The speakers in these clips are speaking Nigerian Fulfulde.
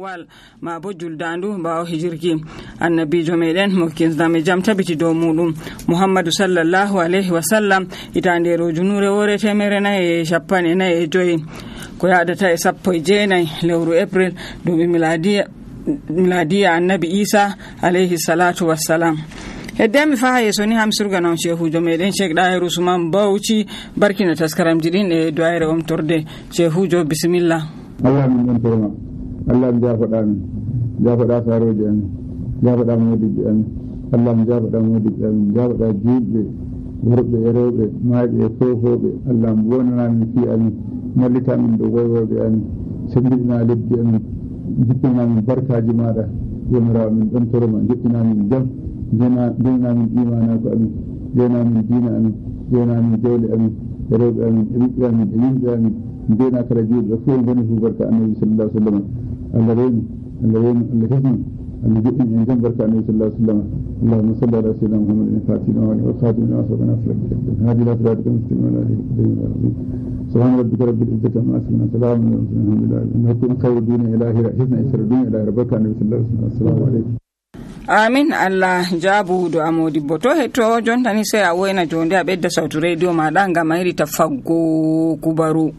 wal ma bo juldandu bawo hijirki annabijo meden mo kinsdame jam tabiti dow mudum Muhammadu sallallahu alaihi wasallam itande rojunure wore temere na e shappane na e joyi ko yadata e sappo e jeenay lewru April dubi miladiya annabi Isa alaihi salatu wassalam. Heddemi fa yeso ni ham surga non shehujo meden Sheikh Dahiru Usman Bauchi barkina taskaram jidin e doyre omtorde shehujo bismillah. Allah min don torma Allah mi jafoɗa saroji amin jafoɗa modiɓe amin Allah mi jafoɗa modiɓe amin jafoɗa juɗɓe worɓe e rewɓe maaɓe e fofoɓe Allah mi wonanamin fi amin mallitamin ɗo woywoɓe amin sendidina lebbi amin jippinamin barkaji maɗa yomirawo min ɗon toroma jippinamin jam jenamin imanago amin jenamin dina amin jenamin jawle amin e rewɓe amin e ɓiɓɓe amin e yimɓe amin jena kala juɗɓe fof boni fu barka annabi sallallahu alaihi wasallam Allah rewni Allah hifni Allah jiɗɗin en jam barka annabi sallallahu alaihi wasallam Allahumma salli ala sayyidina Muhammadin al-fatih wa khatim wa sabana sallallahu hadi la siratal mustaqim wa alihi subhana rabbika rabbil izzati amma yasifun salamun ala al-mursalin alhamdulillah innakum khayru dunya ilahi hifna isra dunya ilahi barka annabi sallallahu alaihi wasallam assalamu alaikum. Amin Allah jabu do amodi boto hetto jontani sai a woyna jonde a bedda sautu radio maɗa ngam mayri tafaggo kubaru.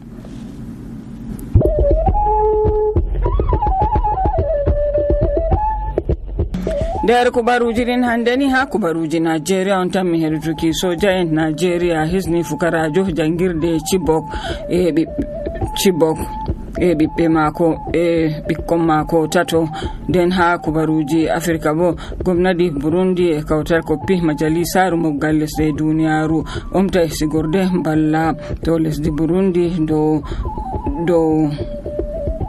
Der kubaruji din handeni ha kubaruji Nigeria on tan mi hertuki soja en Nigeria hisni fukarajo jangirde Chibok e ɓiɓɓe mako e ɓikkon mako tato. Den ha kubaruji Afrika bo gomnati Burundi e kawtal koppi majalisaru moggal lesɗe duniyaru omta sigorde balla to lesdi Burundi do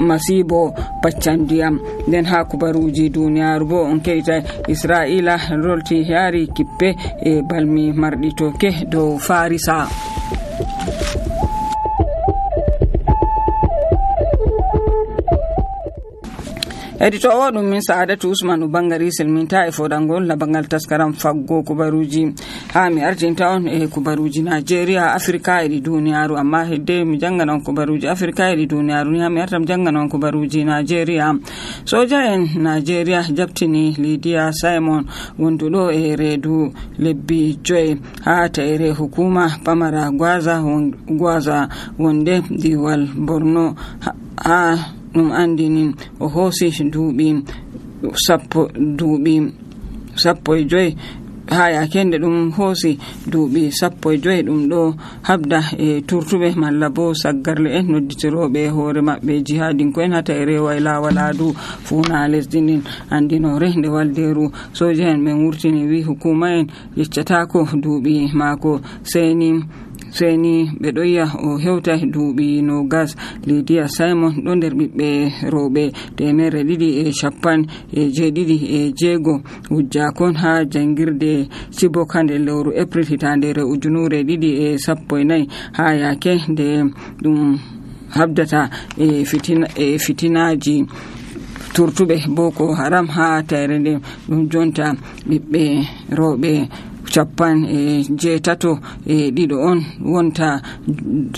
masibo paccandiyam. Den ha kubaruji duniyaru bo on keita Israila rolti yari kippe e balmi marɗi toke dow Farisa. Edito ɗum min Sa'adatu Usman bangari selminta e fodangol labangal taskaram faggo kubaruji ha mi artinta on e kubaruji Nigeria Afrika e duniyaru amma hedde mi jangana on kubaruji Afrika e duniyaru ni ha mi artam jangana on kubaruji Nigeria. Soja en Nigeria jabtini Lydia Simon wonduɗo e redu lebbi 5 ha taire hukuma pamara gwaza wonde diwal Borno ha ɗum andinin o hoosi duuɓi sappo e joyi ha yakende ɗum hoosi duuɓi 15 ɗum ɗo habda e turtuɓe malla bo saggarle en nodditiroɓe hoore maɓɓe jihadinko en hata e rewa e lawaladu fuuna lesdi ndin andinore nde walderu soja en ɓe wurtini wi hukuma en yeccatako duuɓi maako seni ɓe ɗo yi'a o hewta duuɓi 20. Lydia Simon ɗo nder ɓiɓɓe rewɓe 256 wujjakon ha jangirde Chibok hande lewru April hitandere 2014 ha yake nde ɗum habdata e fitinaji turtuɓe Boko Haram ha tayre nde ɗum jonta ɓiɓɓe rewɓe 58 on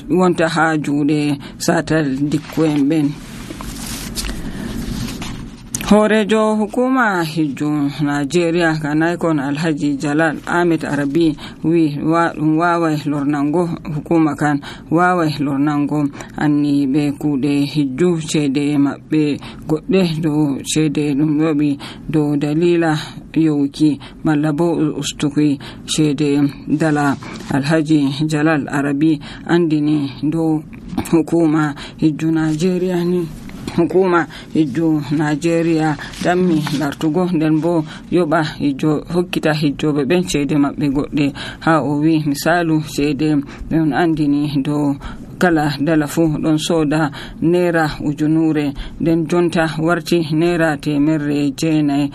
wonta ha juuɗe satal dikko'en ɓen. Horejo hukuma hijju Nigeria kanaykon Alhaji Jalal Ahmed Arabi wi ɗum wawai lornango hukuma kan wawai lornango anniɓe kuuɗe hijju ceede maɓɓe goɗɗe dow ceede ɗum yoɓi dow dalila yowuki malla bo ustuki ceede dala. Alhaji Jalal Arabi andini dow hukuma hijju Nigeria ni hukuma hijju Nigeria dammi lartugo nden bo yoba hokkita hijjoɓe ɓen ceede maɓɓe goɗɗe ha o wi misalu ceede ɗon andini dow kala dala fu ɗon soda naira 1,000 nden jonta warti naira 900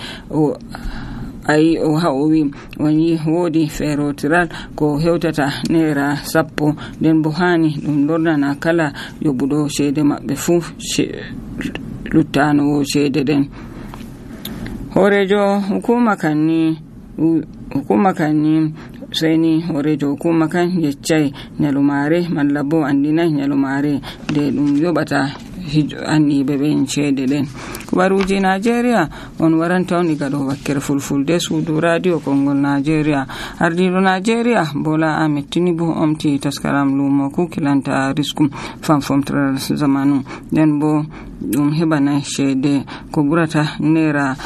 ayi o ha o wi woni wodi ferotiral ko hewtata naira 10 nden bo hani ɗum lornana kala yoɓuɗo ceede maɓɓe fu luttanowo ceede ɗen. Horejo hukuma kanni seni horejo hukuma kan yeccai nyalumare malla bo andinai nyalumare de ɗum yoɓata anniɓe ɓen ceede ɗen. kubaruji Nigeria on waranta on iga do wakkere fulfulde suudu radio Kongol Nigeria. Ardiɗo Nigeria Bola Ahmed Tinubu omti taskaram lumo kukilanta riskum famfomtral zamanu den bo ɗum heɓana ceede ko ɓurata naira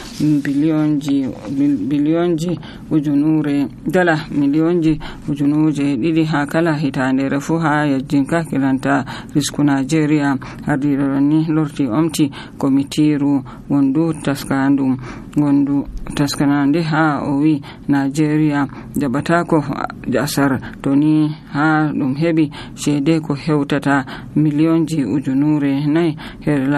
biliyonji ujunure dala miliyonji ujunuje 2 ha kala hitandere fu ha yajjinka kilanta risku Nigeria. Ardiɗo ni lorti omti komitiru wondu taskanande ha o wi Nigeria jaɓatako asar to ni ha ɗum heɓi ceede ko hewtata miliyonji ujunure 4 her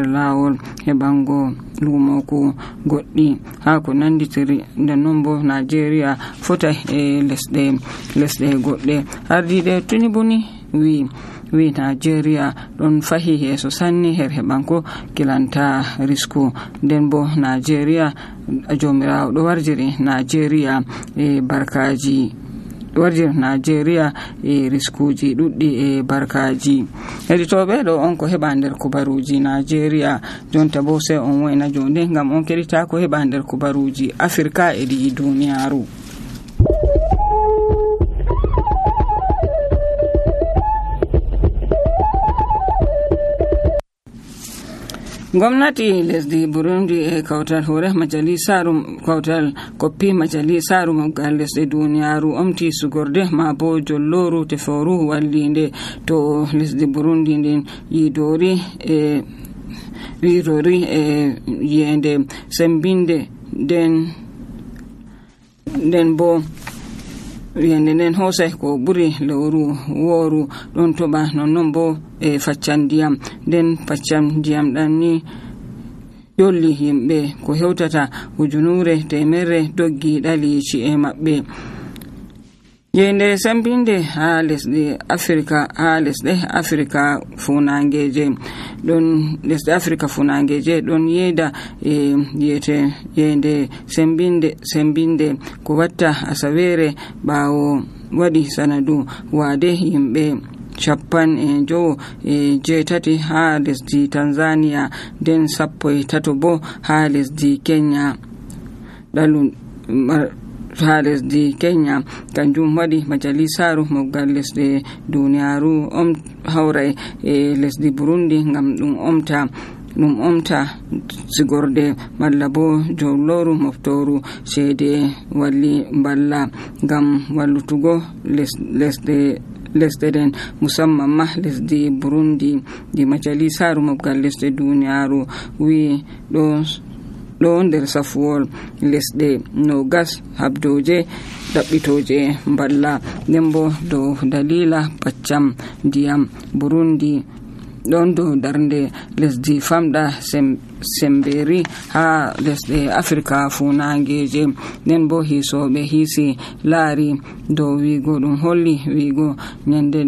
lawol heɓango lumoku goɗɗi ha ko nanditiri nden non bo Nigeria fotay e lesɗe goɗɗe. Ardiɗe Tinubu ni wi Nigeria ɗon fahi yeso sanni her heɓanko kilanta risku nden bo Nigeria jomirawo ɗo warjiri Nigeria e barkaji Nigeria e riskuji ɗuɗɗi e barkaji. Heditoɓe ɗo on ko heɓa nder kubaruji Nigeria jonta bo sai on woyna jonde ngam on keɗita ko heɓa nder kubaruji Afrika e ɗi duniyaru. Gwamnati lesdi Burundi e kautal hore majalisaru kautal koppi majalisaru mabgal lesdi duniyaru omti sugorde ma bo jolloru teforu wallinde to lesdi Burundi nden yidori e yende sembinde den bo yende nden hosay ko ɓuri lewru woru ɗon toɓa nonnon bo e faccan ndiyam nden faccan ndiyam ɗan ni dolli yimɓe ko hewtata 100 doggi ɗali ci'e maɓɓe. Yende sembinde ha lesɗe Afrika funangeje ɗon lesɗe Afrika funangeje ɗon yeda e yete yende sembinde ko watta asawere ɓawo waɗi sanadu wade yimɓe 57 ha lesdi Tanzania nden 13 bo ha lesdi Kenya ha lesdi Kenya kanjum waɗi majalisaru mobgal lesɗe duniyaru hawray e lesdi Burundi ngam ɗum omta sigorde malla bo jolloru moftoru ceede walli balla ngam wallutugo lesɗe den musamman ma lesdi Burundi. Di majalisaru mobgal lesɗe duniyaru wi ɗo nder safuwol lesɗe 20 habdoje ɗaɓɓitoje balla nden bo dow dalila paccam ndiyam Burundi ɗon dow darnde lesdi famɗa semberi ha lesɗe Afrika funangeje nden bo hisoɓe hiisi laari dow wigo ɗum holli wigo yende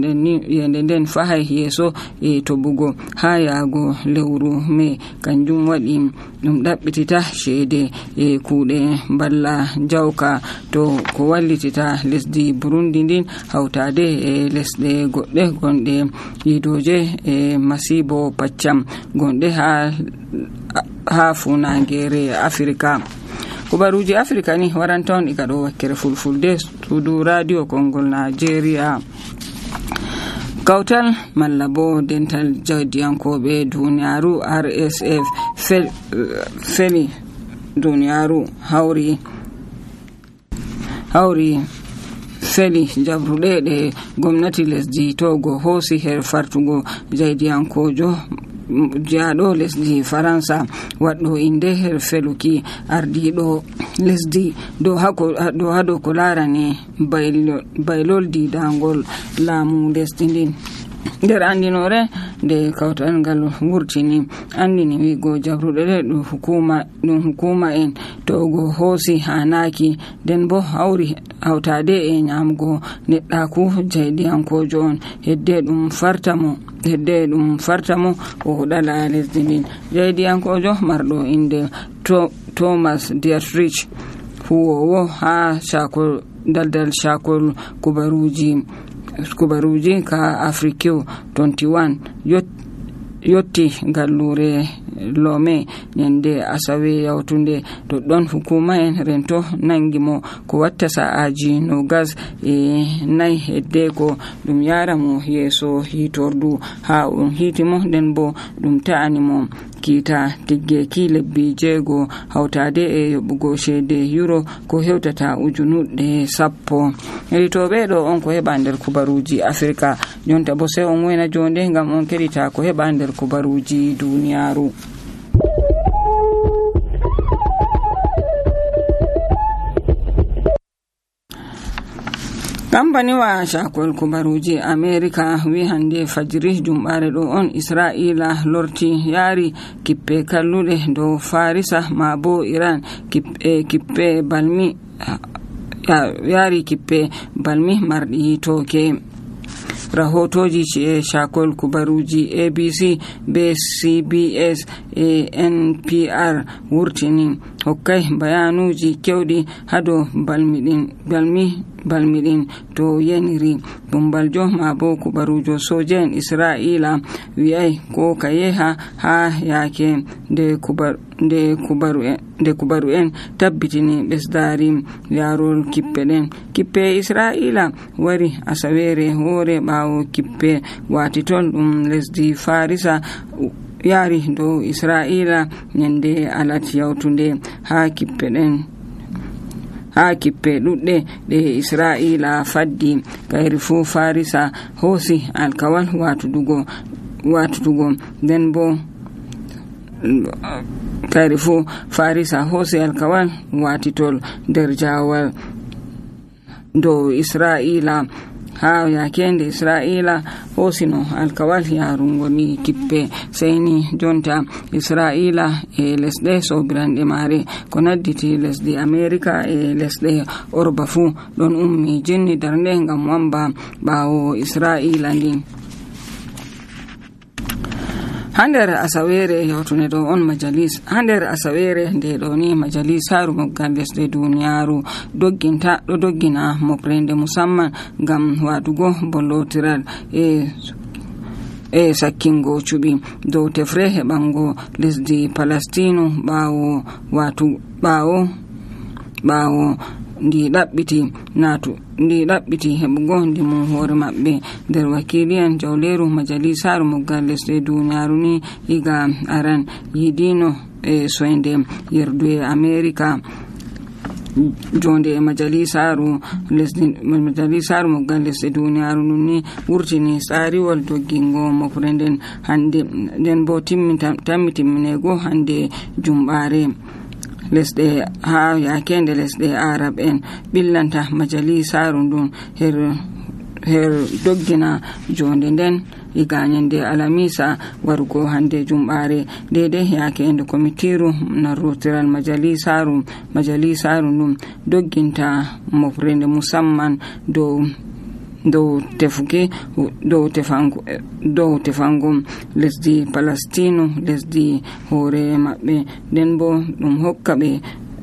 nden fahay yeso e toɓugo ha yaago lewru me kanjum waɗi ɗum ɗaɓɓitita ceede e kuuɗe balla jawka to ko wallitita lesdi Burundi ndin hawtade e lesɗe goɗɗe gonɗe yidoje e masibo paccam gonɗe ha funangere Afrika. Kubaruji Afrika ni waranta on iga ɗo wakkere fulfulde suudu radio Kongol Nigeria. Kautal malla bo dental jawdiyankoɓe duniyaru RSF feli duniyaru hawri feli jabruɗe ɗe gomnati lesdi Togo hoosi her fartugo jawdiyankojo jaaɗo lesdi Faransa waɗɗo inde her feluki ardiɗo lesdi dow hado ko larani baylol didangol laamu lesdi ndin. nder andinore nde kawtal ngal wurtini andini wigo jabruɗe ɗe ɗum hukuma en Togo hoosi hanaki den bo hawtade e nyamgo neɗɗaku jaydiyankojo on hedde ɗum fartamo o huɗala lesdi ndin. Jaydiyankojo marɗo inde Thomas Dietrich huwowo ha daldal shakol kubaruji ka Afrique 21 yotti gallure Lome nyande asawe yawtunde to don hukuma en rento nangi mo ko watta sa'aji no gas nay hedde ko dum yara mo yeso hitordu ha on hitimo den bo dum ta'ani mo kita tiggeki lebbi jego hawtade yobugo shede euro ko hewtata ujunude 10 ritobe do on ko heba nder kubaruji Afrika jonta bo sai on wena jonde ngam on kedita ko heba nder kubaruji duniyaru. Kambani wa shakol kubaruji Amerika wi hande fajiri jumbare do on Israila lorti yari kippe kallude do Farisa mabo Iran kippe balmi yari kippe balmi mardi toke. Rahotoji shakol kubaruji ABC be CBS NPR wurtini hokkai bayanuji kewdi hado balmidin to yeniri bumbaljo mabo kubarujo sojen Israila wi'ai ko kayeha ha yake de kubaru en tabbitini besdari yarol kippe Israila wari asawere hore bawo kippe watitol lesdi Farisa yari do Israila nyande alati yawtunde ha kippe dudde de Israila faddi kayri fu Farisa hosi alkawal watudugo den bo kayri fu Farisa hosi alkawal watitol derjawal do Israila ha yakende Israila hosino alkawal yarungoni kippe sayni jonta Israila lesde sobirande mare ko nadditi lesdi Amerika lesde Orba fu don ummi jinni darnde ngam wamba bawo Israila ndin. Hander asawere yawtune do on majalis hander asawere nde do ni majalisaru moggal lesde duniyaru doggina moprende musamman ngam wadugo bollotiral sakkingo cubi do tefre hebango lesdi Palestino bawo ndi ɗaɓɓiti heɓugo ndimu hore maɓɓe nder wakiliyan jawleru majalisaru moggal lesde duniyaru ni iga aran yidino soinde yerduye Amerika jonde majalisaru moggal lesde duniyaru ni wurtini tsariwal doggingo mofrenden hande den bo timminego hande jumbare lesde ha yakende lesde Arab en billanta majalisaru dun her doggina jonde den iganyende alamisa warugo hande jumbare dede yakende komitiru narrotiral majalisaru dun dogginta mofrende musamman do tefango lesdi Palestino lesdi hore mabbe den bo dum hokkabe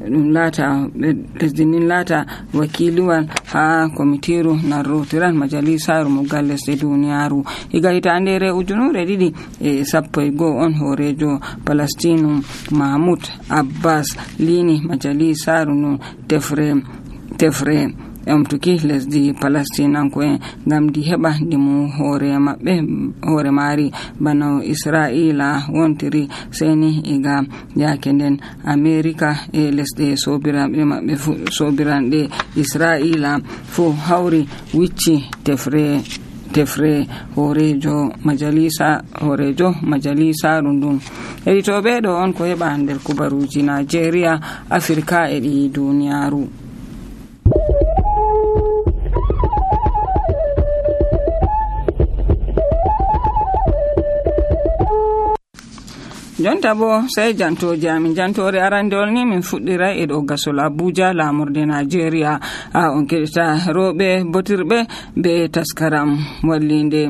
dum lata lesdi nin lata wakiliwal ha komitiru narrotiral majalisaru moggal lesde duniyaru iga hitandere ujunure didi sappo go on horejo Palestino Mahmoud Abbas lini majalisaru no tefre tuki lesdi Palestinanko en ngam di heba ndimu hore mari bano Israila wontiri seni iga yakenden Amerika lesde sobirande Israila fu hawri wicci tefre horejo majalisa rundun editobe do on ko heba nder kubaruji Nigeria Afrika e di duniyaru. Jonta bo sai jantore arandol ni min fuddira e do gasol Abuja lamurde Nigeria on kedita robe botirbe be taskaram wallinde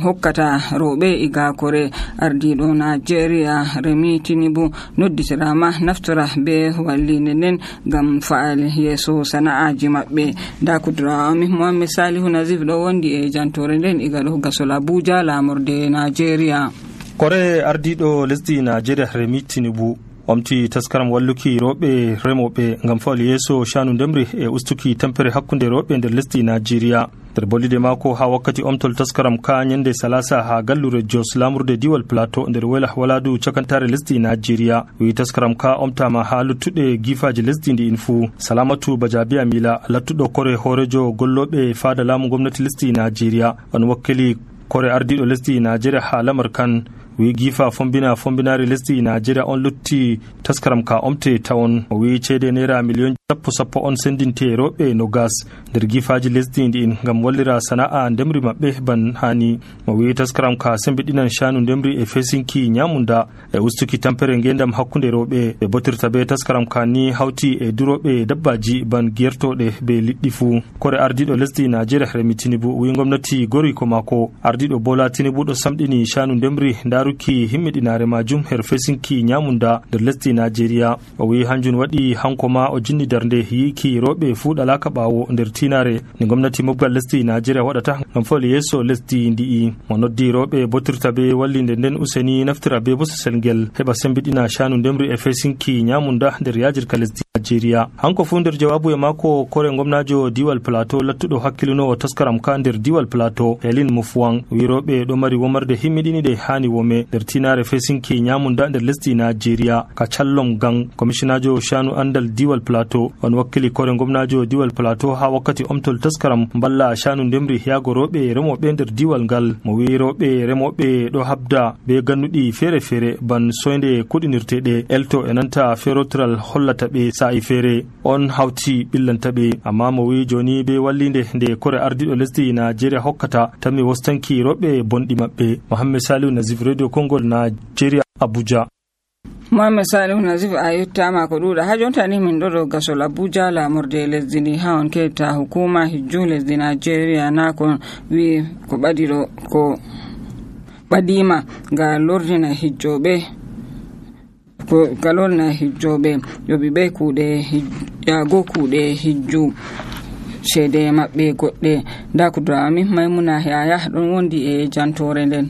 hokkata robe iga kore ardido Nigeria Remi Tinubu nodditirama naftora be wallinde nen gam faal yeso sana'aji mabbe da kudra mi Muhammad Salihu Nazif do wondi e jantore den iga do gasol Abuja lamurde Nigeria. kore ardiɗo lesdi Nigeria Remi Tinubu omti taskaram walluki roɓe remoɓe ngam fawal yeeso shanu ndemri e ustuki tampere hakkunde roɓe nder lesdi Nigeria. nder bollide mako ha wakkati omtol taskaram ka nyande salasa ha gallure Jos lamurde diwal Plateau nder wela waladu cakantare lesdi Nigeria. wi taskaram ka omtama ha luttuɗe gifaji lesdi ndi infu. Salamatu Bajabi Amila lattuɗo kore horejo golloɓe fada lamu gwamnati lesdi Nigeria on wakkili kore ardiɗo lesdi Nigeria ha lamar kan wi gifa fombinare lesdi Nigeria on lutti taskaram ka omte tawon. o wi cede naira million sappo on sendinte roɓe no gas nder gifaji lesdi ɗin ngam wallira sana'a ndemri maɓɓe ban hani. o wi taskaram ka sembiɗinan shanu ndemri e fesinki nyamunda e ustuki tampere ngendam hakkunde roɓe. ɓe botirta be taskaram ka ni hawti e duroɓe dabbaji ban gertoɗe be liɗɗi fu. kore ardiɗo lesdi Nigeria Remi Tinubu wi gwamnati gori ko mako. ardiɗo Bola Tinubu ɗo samɗini shanu ndemri daruki himmiɗinare majum her fesinki nyamunda nder lesdi Nigeria. o wi hanjum waɗi hanko ma o jinni darnde yiki roɓe fuɗalaka ɓawo nder tinare ni gwamnati mobgal lesdi Nigeria waɗata ngam fawal yeeso lesdi ndi'i. mo noddi roɓe botirta be wallinde nden useni naftira be bosesel ngel heɓa sembiɗina shanu ndemri e fesinki nyamunda nder yajirka lesdi Nigeria. hanko fu nder jawabu e mako kore gwamnajo diwal Plateau lattuɗo hakkilinowo taskaram ka nder diwal Plateau Helen Mufwang wi roɓe ɗo mari womarde himmiɗiniɗe hani wome nder tinare fesinki nyamunda nder lesdi Nigeria. ka callom gang commissionajo shanu andal diwal Plateau on wakkili kore gwamnajo diwal Plateau ha wakkati omtol taskaram balla shanu ndemri yago roɓe remoɓe nder diwal ngal. mo wi roɓe remoɓe ɗo habda be gannuɗi fere ban soyde kuɗinirteɗe elto e nanta ferotiral hollata ɓe sa'i fere on hawti billanta ɓe. amma mo wi joni be wallinde nde kore ardiɗo lesdi Nigeria hokkata tammi wostanki roɓe bonɗi maɓɓe. Mohammed Salihu Nazif Radio Kongol Nigeria Abuja. Mohammed Salihu Nazif a yettama ko ɗuɗa ha jonta ni min ɗo gasol Abuja lamorde lesdi ndi ha on keta hukuma hijju lesdi Nigeria na kon wi ko ɓadiɗo ko ɓadima ga lordina hijjoɓe yoɓi ɓe kuuɗe yago kuuɗe hijju cede maɓɓe goɗɗe. nda ko drami Maimuna Yaya ɗon wondi e jantore nden.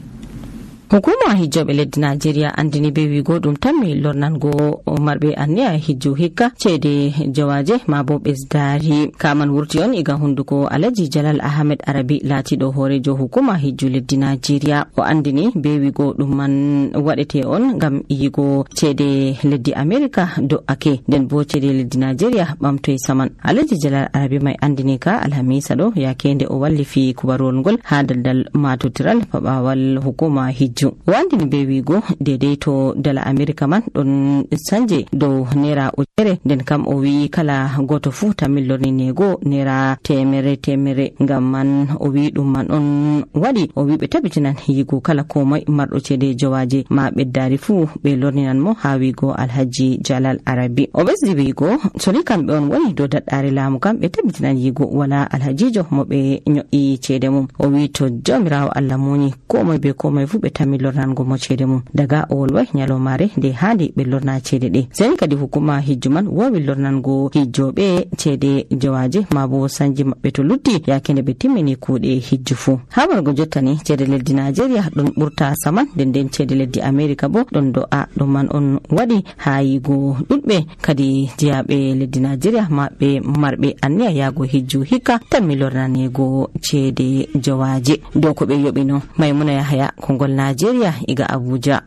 hukuma hijjoɓe leddi Nigeria andini be wigo ɗum tammi lornango marɓe anniya hijju hikka cede jawaje ma bo ɓesdari. kaman wurti on iga hunduko Alhaji Jalal Ahmed Arabi latiɗo horejo hukuma hijju leddi Nigeria. o andini be wigo ɗum man waɗete on ngam yigo cede leddi America do'ake nden bo cede leddi Nigeria ɓamtoye saman. Alhaji Jalal Arabi mai andini ka alhamisa ɗo yakende o wallifi kubarol ngol ha daldal matotiral paɓawal hukuma hijju. wandini be wigo dedei to dala America man ɗon sanje dow naira ujere nden kam o wi kala goto fu tamillorni nego naira temere ngam man o wi ɗum man on waɗi o wi ɓe tabitinan yigo kala komai marɗo cede jawaje ma ɓeddari fu ɓe lorninan mo ha wigo Alhaji Jalal Arabi. o ɓesdi wigo soni kamɓe on woni dow daɗɗare laamu kam ɓe tabitinan yigo wala alhajijo mo ɓe nyo'i cede mum. o wi to jawmirawo Allah moni komai be komai fu ɓe tammi lornango mo cede mum daga o wolwai nyalomare nde handi ɓe lorna cede ɗe. seni kadi hukuma hijju man wowi lornango hijjoɓe cede jawaje ma bo sanji maɓɓe to lutti yakende ɓe timmini kuuɗe hijju fu. ha wargo jottani cede leddi Nigeria ɗon ɓurta saman nden cede leddi America bo ɗon do'a. ɗum man on waɗi ha yigo ɗuɗɓe kadi jiyaɓe leddi Nigeria maɓɓe marɓe anniya yago hijju hikka tammi lornanego cede jawaje dow ko ɓe yoɓino. Maimuna Yahaya Kongol Nigeria iga Abuja.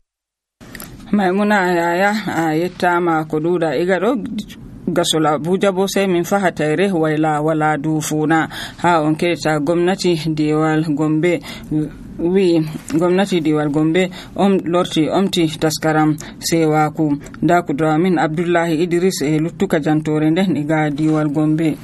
Maimuna Yahaya a yettama ko ɗuɗa iga ɗo gasol Abuja bo sai min faha tayre wayla wala dufuna ha on keta gwamnati diwal Gombe wi gwamnati diwal Gombe omti taskaram sewaku. nda ko Dramin Abdullahi Idris e luttuka jantore nden iga diwal Gombe.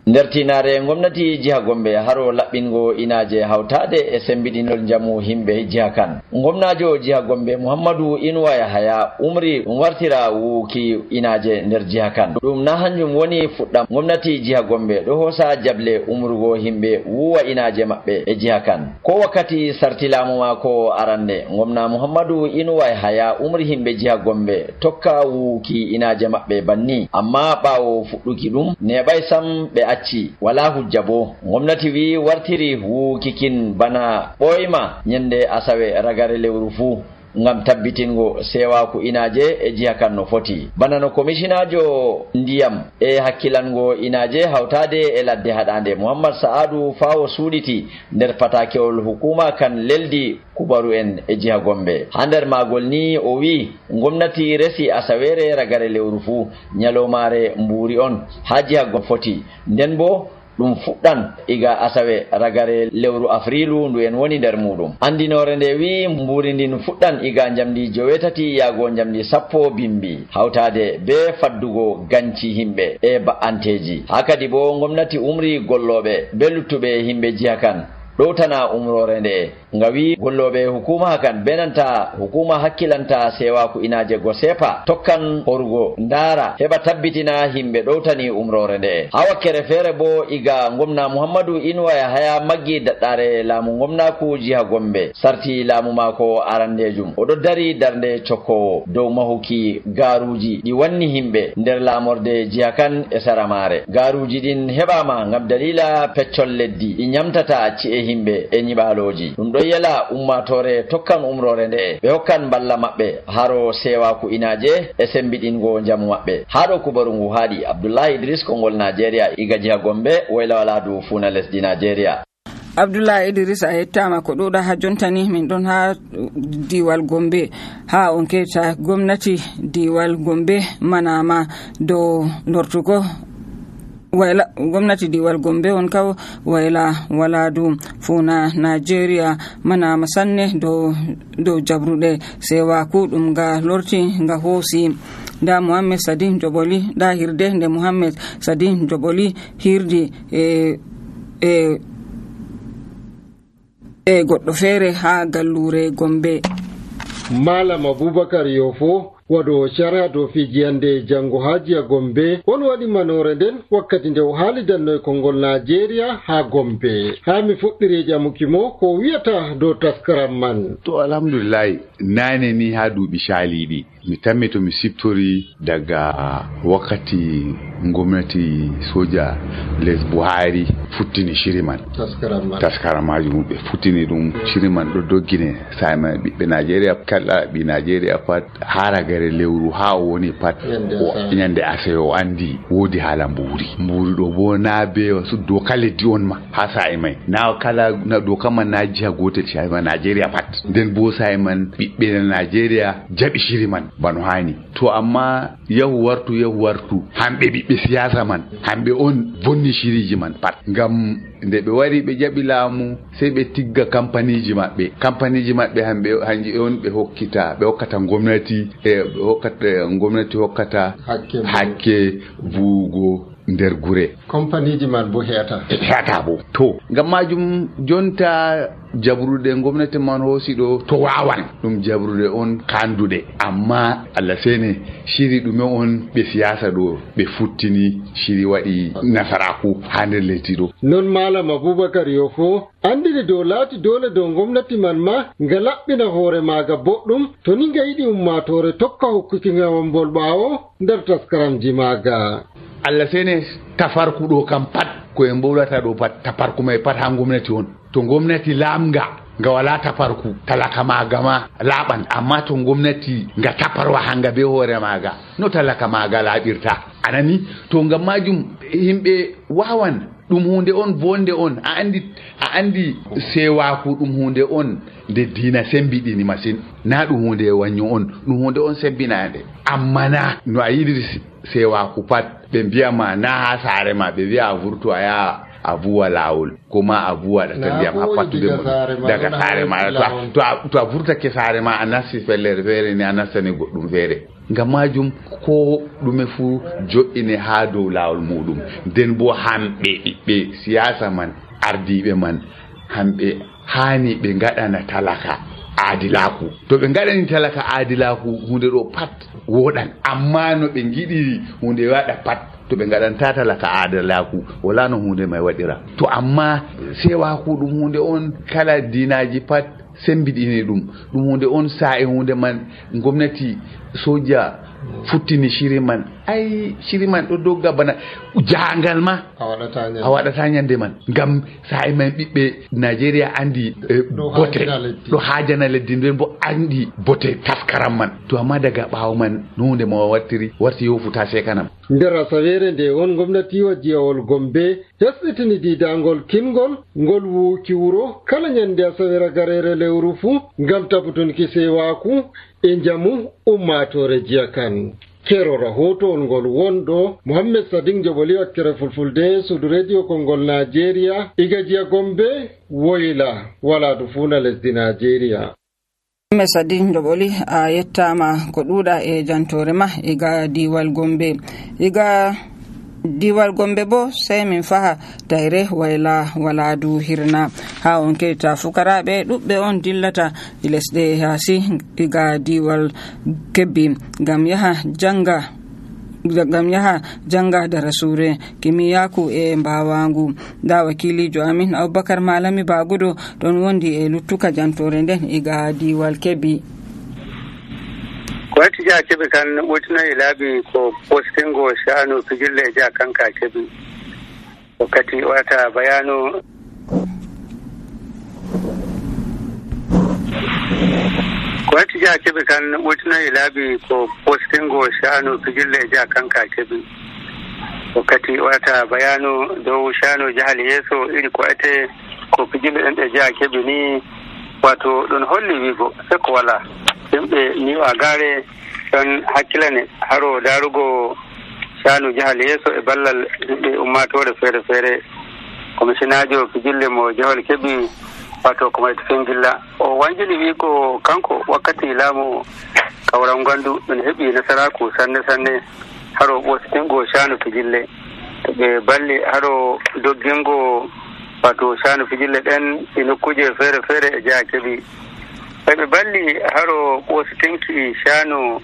nder tinare gwamnati jiha Gombe haro laɓɓingo inaje hawtade e sembiɗinol jamu himɓe jiha kan. gwamnajo jiha Gombe Muhammadu Inuwa Yahaya umri wartira wuuki inaje nder jiha kan. ɗum na hanjum woni fuɗɗam gwamnati jiha Gombe ɗo hosa jable umrugo himɓe wuwa inaje maɓɓe e jiha kan. ko wakkati sartilamu mako arande gwamna Muhammadu Inuwa Yahaya umri himɓe jiha Gombe tokka wuuki inaje maɓɓe banni amma ɓawo fuɗɗuki ɗum neɓay sam ɓe acci wala hujja bo gomnati wi wartiri wukikin bana ɓoyma nyande asawe ragare lewru fuu ngam tabbitingo sewaku inaje e jiha kan no foti bana no commissionajo ndiyam e hakkilango inaje hawtade e ladde haɗande Muhammad Sa'adu Fawo suɗiti nder patakewol hukuma kan leldi kubaru en e jiha Gombe ha nder magol ni o wi gomnati resi asawere ragare lewru fuu nyalomare mburi on ha jiha Gombe foti nden bo ɗum fuɗɗan iga asawe ragare lewru afrilu ndu en woni nder muɗum andinore nde wi mburi ndin fuɗɗan iga jamdi 9 yago jamdi 10 bimbi hawtade be faddugo ganci himɓe e ba'anteji hakadi bo gomnati umri golloɓe be luttuɓe himɓe jiha kan ɗowtana umrore nde ngawi golloɓe hukuma kan benanta hukuma hakkilanta sewaku inaje go sepa tokkan horugo ndara heɓa tabbitina himɓe ɗowtani umrore nde ha wakkere feere bo iga gomna Muhammadu Inuwa Yahaya maggi daɗɗare laamu gomnaku jiha Gombe sarti laamu mako arandejum oɗo dari darnde cokkowo dow mahuki garuji ɗi wanni himɓe nder lamorde jiha kan e saramare garuji ɗin heɓama ngam dalila peccol leddi ɗi nyamtata ci'e himɓe e nyiɓaloji ɗum ɗo yela ummatore tokkan umrore nde ɓe hokkan balla maɓɓe haro sewaku inaje e sembiɗingo jamu maɓɓe haɗo kubaru ngu haaɗi Abdullahi Idris Kongol Nigeria iga jiha Gombe wayla waladu funa lesdi Nigeria. Abdoulaye Idris a yettama ko ɗuɗa ha jontani min ɗon ha diwal Gombe ha on keta gomnati diwal Gombe manama dow lortugo wayla gomnati diwal Gombe on kaw wayla waladu funa Nigeria mana masanne do jabrude sewaku ɗum ga lorti ga hosi da Muhammad Sadin Joboli da hirde nde Muhammad Sadin Joboli hirdi e goɗɗo feere ha gallure Gombe. Malam Abubakar Yofo waɗo shara dow fijiyande jango ha jiha Gombe on waɗi manore nden wakkati nde o haalidanno e Kongol Nigeria ha Gombe ha mi fuɗɗiri jamuki mo ko wiyata dow taskaram man. To alhamdulillah nane ni ha duuɓi shaliɗi mi tammi to mi siftori daga wakkati gwamnati soja les Buhari futtini shiri man taskaram majum ɓe futtini ɗum shiri man ɗo doggine sayma ɓiɓɓe Nigeria kala ɓi Nigeria pat haragare lewru ha woni pat o nyande ase o andi wodi hala mburi ɗo bo na be wasu doka leddi on ma ha sa'i mai na kala na doka man na jiha gotel shi ma Nigeria pat nden bo sa'i man ɓiɓɓe Nigeria jaɓi shiri man bano hani to amma yahu wartu hamɓe ɓiɓɓe siyasa man hamɓe on bonni shiriji man pat ngam nde ɓe wari ɓe jaɓi laamu sai ɓe tigga kampaniji maɓɓe hanji on ɓe hokkata gwamnati gwamnati hokkata hakke buugo nder gure kampaniji man bo heata bo to ngam majum jonta jabrude gwamnati man hosi ɗo to wawan ɗum jabrude on kandude amma Allah sene shiri ɗume on ɓe siyasa ɗo ɓe futtini shiri waɗi nasaraku ha nder lesdi ɗo. Non Malam Abubakar Yofo andiri dow laati dole dow gwamnati man ma nga laɓɓina hoore maaga boɗɗum to ni nga yiɗi ummatore tokka hokkuki ngawambol ɓaawo nder taskaramji maaga. Allah sene tafarku ɗo kam pat ko en mbowlata ɗo pat tafarku mai pat ha gwamnati on to gwamnati lamga nga wala tafarku talaka maga ma laɓan amma to gwamnati nga taparwa hanga be hoore maga no talaka maga laɓirta anani to ngam majum himɓe wawan ɗum hunde on bonde on a andi sewaku ɗum hunde on nde diina sembiɗini masin na ɗum hunde wanyo on ɗum hunde on sembinande amma na no a yiɗiri sewaku pat ɓe mbiyama na ha saare ma ɓe wiya a vurto a yaha a vuwa lawol kuma a vuwa ɗata ndiyam ha pattude daga saare ma to a vurtake saare ma a nasti fellere feere ni a nastani goɗɗum feere ngam majum ko ɗume fu jo'ine ha dow lawol muɗum nden bo hamɓe ɓiɓɓe siyasa man ardiɓe man hamɓe hani ɓe gaɗana talaka aadilaku to ɓe gaɗani talaka aadilaku hunde ɗo pat woɗan amma no ɓe giɗiri hunde waɗa pat to ɓe gaɗanta talaka aadilaku wala no hunde mai waɗira to amma sewaku ɗum hunde on kala dinaji pat sembiɗini ɗum hunde on sa'i hunde man gwamnati soja futtini shiri man ai shiri man ɗo dogga bana jangal ma a waɗata nyande man ngam sa'i man ɓiɓɓe Nigeria andi bote ɗo hajana leddi nden bo andi bote taskaram man to amma daga ɓawo man nunde mo warti yofuta sekanam. nder asawere nde on gomnatiwa jiyawol Gombe hesɗitini didangol kingol ngol wuuki wuro kala nyande asawere garere lewru fu ngam tabbutunki sewaku e jamu ummatore jiya kan. Kero rahoto ngol wondo Mohammed Sadin Joboli wakkere fulfulde sudu radio kongol Nigeria iga jiya Gombe woyla wala dufuna lesdi Nigeria. Mohammed Sadin Joboli a yettama ko ɗuɗa e jantore ma iga diwal Gombe. Iga diwal Gombe bo sai min faha daire wayla waladu hirna ha on keta fukaraɓe ɗuɓɓe on dillata lesɗe yasi iga diwal Kebbi gam yaha janga da rasure kimiyaku e mbawangu da wakilijo amin Abubakar Malami Bagudo don wondi e luttuka jantore nden iga diwal Kebbi. Gwamnati jiha Kebbi kan wutuna ilabi ko postingo shanu fijille jiha kanka Kebbi wakati wata bayano gwamnati jiha Kebbi kan wutuna ilabi ko postingo shanu fijille jiha kanka Kebbi wakati wata bayano do shanu jihar Yeso iri ko ate ko fijille ɗin da jiha Kebbi ni wato don holli wigo sai ko wala yimɓe ni a gare don hakkila ne haro darugo shanu jihar Yeso e ballal yimɓe ummatore fere-fere komisinajo fijille mo jihar Kebbi wato kuma fingilla o wanjini wi ko kanko wakkati laamu kawran gandu ɗum heɓi nasaraku sanne haro ɓostingo shanu fijille ɓe balli haro doggingo wato shanu fijille ɗen e nokkuje fere-fere e jiha Kebbi ɓe balli haro ɓostinki shanu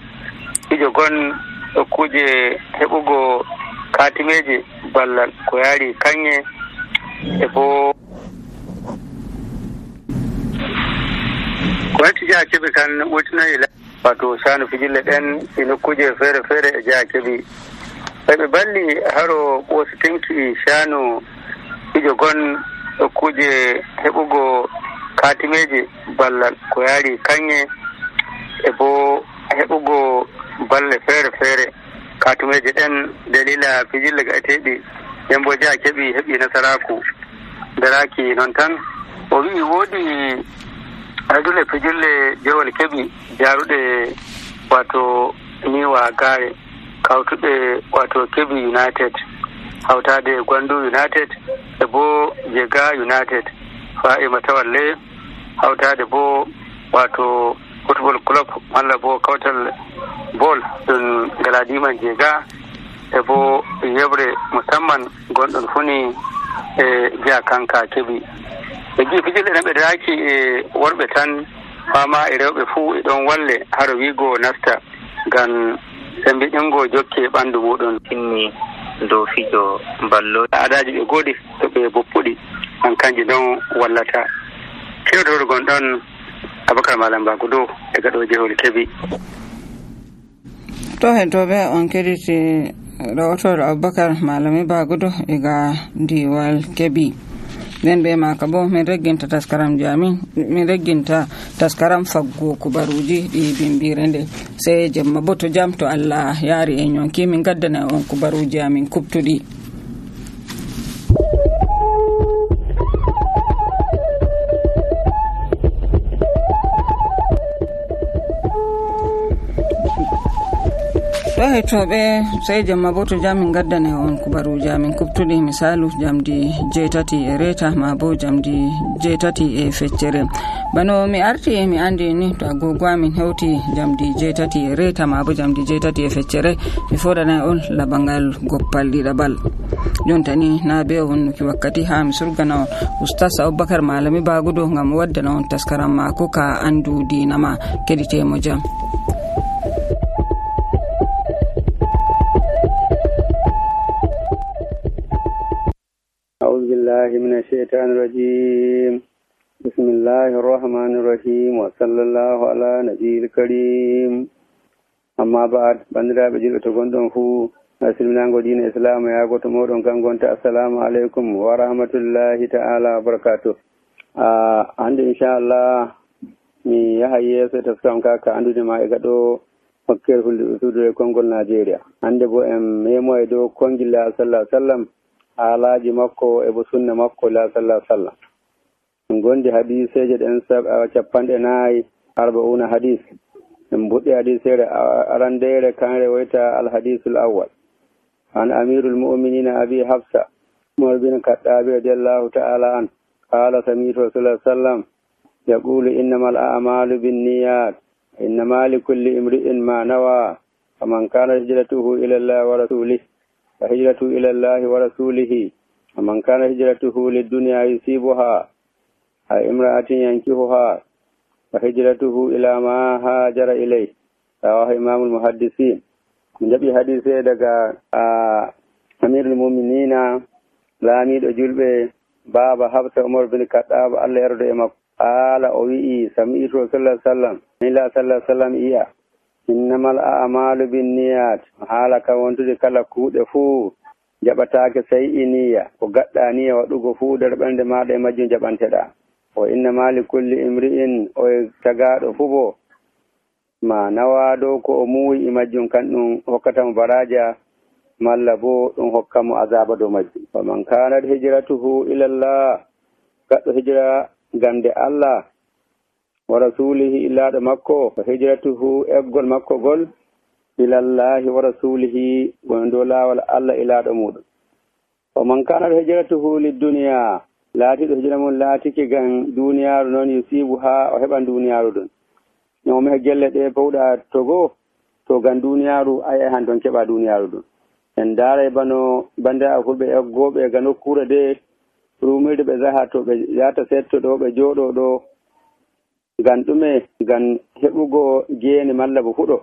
fijo gon nokkuje heɓugo katimeje ballal ko yaari kanye e bo gwamnati jiha Kebbi kan wutinayi wato shanu fijille ɗen e nokkuje fere-fere e jiha Kebbi ɓe balli haro ɓostinki shanu fijo gon nokkuje heɓugo katimeje ballal ko yaari kanye e bo heɓugo balle fere-fere katimeje ɗen dalila fijille gaeteɗi nden bo jiha Kebbi heɓi nasaraku daraki non tan o wi woodi adule fijille jewol Kebbi jaruɗe wato niwa gare kawtuɗe wato Kebbi United hawtade Gwandu United e bo Jega United fa'i matawalle hawtade bo wato football club malla bo kawtal ball ɗum Galadiman Jega e bo yebre musamman gonɗon funi e jiha kanka Kebbi e ji fijille ɗen ɓe daki e worɓe tan fama e rewɓe fuu e ɗon walle haro wigo nasta ngam sembiɗingo jokke ɓandu muɗum tinni dow fijo ballo adaji ɓe goɗi to ɓe boppuɗi an kanji ɗon wallata kewtorgon ɗon Abubakar Malam Bagudo e gaɗo jehol Kebbi. To hen to ɓe on keɗiti rahotoɗo Abubakar Malami Bagudo e ga diwal Kebbi nden ɓe maka bo min regginta taskaram jami min regginta taskaram faggo kubaruji ɗi bimbire nde sey jemma bo to jam to Allah yaari en yonki min gaddana on kubaruji amin kuptuɗi. toɓe sey jamma bo to jam gaddane on kubaruji amin kuptuɗi misalu jamdi 7:03 ma bo jamdi 7:feccere bano mi arti mi andi ni to agogo amin hewti jamdi 7:03 ma bo jamdi 7:feccere mi foɗanay on labangal goppal ɗiɗaɓal jontani na be wonnuki wakkati ha mi surgana on oustas Abubakar Malami Bagudo ngam waddana on taskaram mako ka andu dinama keɗitemo jam. من الشيطان الرجيم بسم الله الرحمن الرحيم وصلى الله على نبي الكريم amma ba'ad bandiraɓe julɓe to gonɗon fuu silminago diina islam yago to moɗon kan gonta assalamu aleykum wa rahmatullahi ta'ala wa barakatuh. Hande inchallah mi yaha yeeso e taskam kaka andude ma e gaɗo hokkere hulde usude konngol Nigeria. Hande bo en memo e dow kongilla sallallahu alaihi wasallam haalaji makko e bo sunna makko la sallallahu alaihi wasallam. En gondi hadiseje ɗen 54 arba'una hadis. En buɗɗi hadisere arandere kanre woyta alhadisul awwal an amirul mu'minina abi hafsa umar bin khattab radiyallahu ta'ala an qala sami'tu rasulullah sallallahu alaihi wasallam yaqulu innamal a'malu binniyat innama likulli imri'in ma nawa faman kana hijratuhu ila Allah wa rasulihi fa hijratuhu ila Allah wa rasulihi faman kana hijratuhu lid-dunya yusibuha ay imra'atin yankihuha fa hijratuhu ila ma hajara ilayhi rawahu imamul muhaddisin. Min jaɓi hadise daga amirul mu'minina laamiɗo julɓe baba Hafsa Umar bin Khattab Allah yarda e makko ala o wi'i sami'tu sallallahu alaihi wasallam ila sallallahu alaihi wasallam iya innamal a'malu binniyat haala ka wontude kala kuuɗe fuu jaɓataake sey iniya ko gaɗɗa niya waɗugo fuu nder ɓernde maɗa e majjum jaɓanteɗa o innama li kulli imri'in o tagaɗo fuu bo ma nawa dow ko o muuyi e majjum kan ɗum hokkatamo baraja malla bo ɗum hokkamo azaba dow majjum. Faman kanat hijratuhu ilallah gaɗɗo hijra gande Allah wa rasulihi illaɗo makko fa hijratuhu eggol makko gol ilallahi wa rasulihi won dow laawol Allah ilaɗo muɗum. Faman kanat hijratuhu lidduniya laatiɗo hijra mum laatiki gan duniyaru noon yusibu ha o heɓan duniyaru ɗum ñawmi he gelle ɗe powɗa togo to gan duniyaru ay han ton keɓa duniyaru ɗum. En daara bano bande a fulɓe eggoɓe ga nokkure de rumirde ɓe zaha to ɓe yata setto ɗo ɓe jooɗo ɗo gan ɗume gan heɓugo geene malla bo fuɗo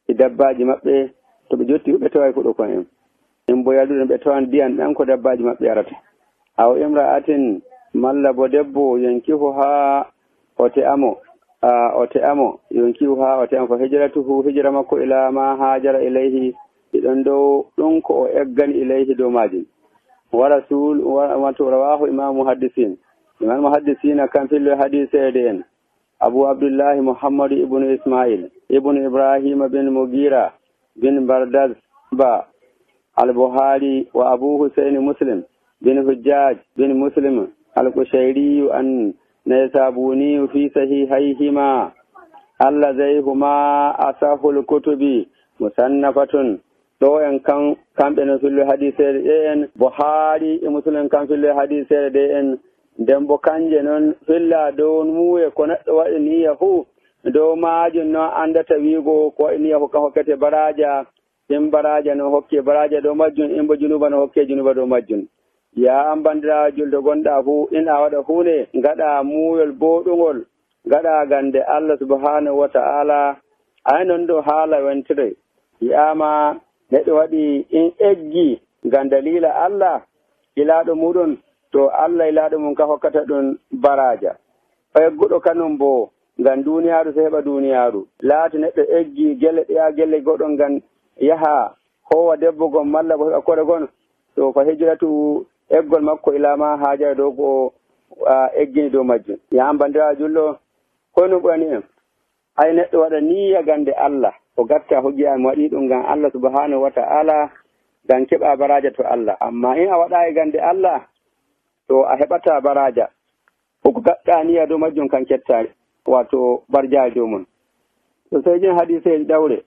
e dabbaji maɓɓe to ɓe jotti ɓe tawa fuɗo kon en bo yalduɗen ɓe tawan ndiyan ɗan ko dabbaji maɓɓe yarata aw imra'atin malla bo debbo yankihu ha ote amo yonkihu ha ote amo fa hijratuhu hijra makko ila ma hajara ilayhi ɗiɗon dow ɗum ko o eggani ilayhi dow majum wa rasul wato rawahu imam muhaddisina kan fillo hadisede en abu abdullahi muhammad ibnu ismail ibnu ibrahima bin mugira bin bardaz ba al-buhari wa abu husayn muslim bin hujjaj bin muslim al-qushayri an naysabuni fi sahihayhima allazayhuma asahul kutubi musannafatun ɗo en kamɓe no fillo hadisere ɗe en buhari e muslim kan fillo hadisere ɗe en nden bo kanje noon filla dow muuye ko neɗɗo waɗi niya fuu dow majum noon andata wiigo ko waɗi niya hokka hokkete baraja in baraja no hokke baraja dow majjum in bo junuba no hokke junuba dow majjum. Ya an bandira julde gonɗa fuu in a waɗa hunde gaɗa muuyol boɗugol gaɗa gande Allah subhanahu wa ta'ala ay noon ɗo haala wentire yiyama neɗɗo waɗi in eggi ngam dalila Allah ilaɗo muɗum to Allah ilaɗo mum ka hokkata ɗum baraja o egguɗo kanum bo ngam duniyaru so heɓa duniyaru laati neɗɗo eggi gelle ɗeya gelle goɗon ngam yaha howa debbo gon malla bo heɓa kore gon to fa hijratu eggol makko ilama haajara dow ko eggini dow majjum. Yam bandira julɗo kono ɓurani en ay neɗɗo waɗa niyya gande Allah o gatta hojjiyami waɗi ɗum ngam Allah subhanahu wa ta'ala ngam keɓa baraja to Allah. Amma in a waɗayi gande Allah to a heɓata baraja ko gaɗɗa niyya dow majjum kan ketta wato barjaji dow mum. To sai jin hadise ɗawre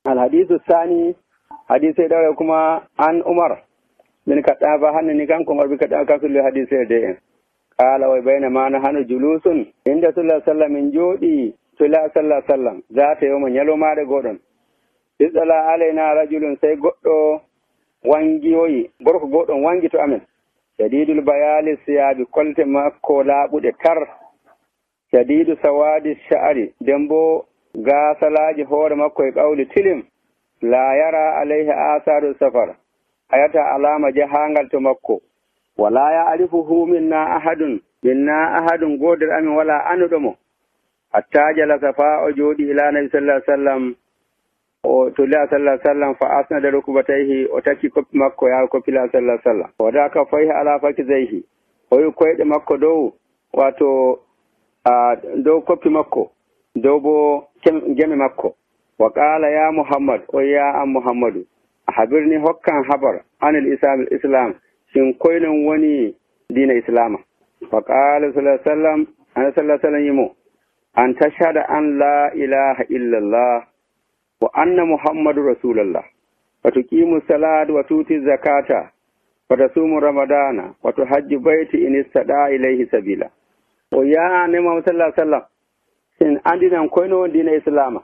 alhadisu sani hadise ɗawre kuma an Umar bin Khattab hannani kanko Umar bin Khattab kan sulli hadise de en qala wa bayna ma nahanu julusun inda sallallahu alaihi wasallam min jodi sallallahu alaihi wasallam zata yawma nyalomaade godon isala alaina rajulun sai goddo wangiyoyi gorko godon wangi to amen shadidul bayali siyabi kolte makko laabude tar shadidu sawadi sha'ri dembo gasalaji hoore makko e qawli tilim la yara alaihi asaru safar ayata alama jahangal to makko wala ya arifuhu minna ahadun goder amin wala anudomo hatta jala safa o jodi ila nabi sallallahu alaihi wasallam o to la sallallahu alaihi wasallam fa asnada rukubatayhi o takki koppi makko ya koppi la sallallahu alaihi wasallam o da ka fayhi ala fakizaihi o yi koyde makko dow wato dow koppi makko dow bo geme makko wa qala ya muhammad o ya am muhammadu habirni hokkan habar anil islam shin koynon woni dina islama wa qala sallallahu alaihi wasallam yimo an tashhada an la ilaha illallah wa anna muhammadu rasulullah wa tuqimu salata wa tuti zakata wa tasumu ramadana wa tuhajju baiti in istada ilayhi sabila o ya ne Muhammad sallallahu alaihi wasallam sin andinan koyno dina islama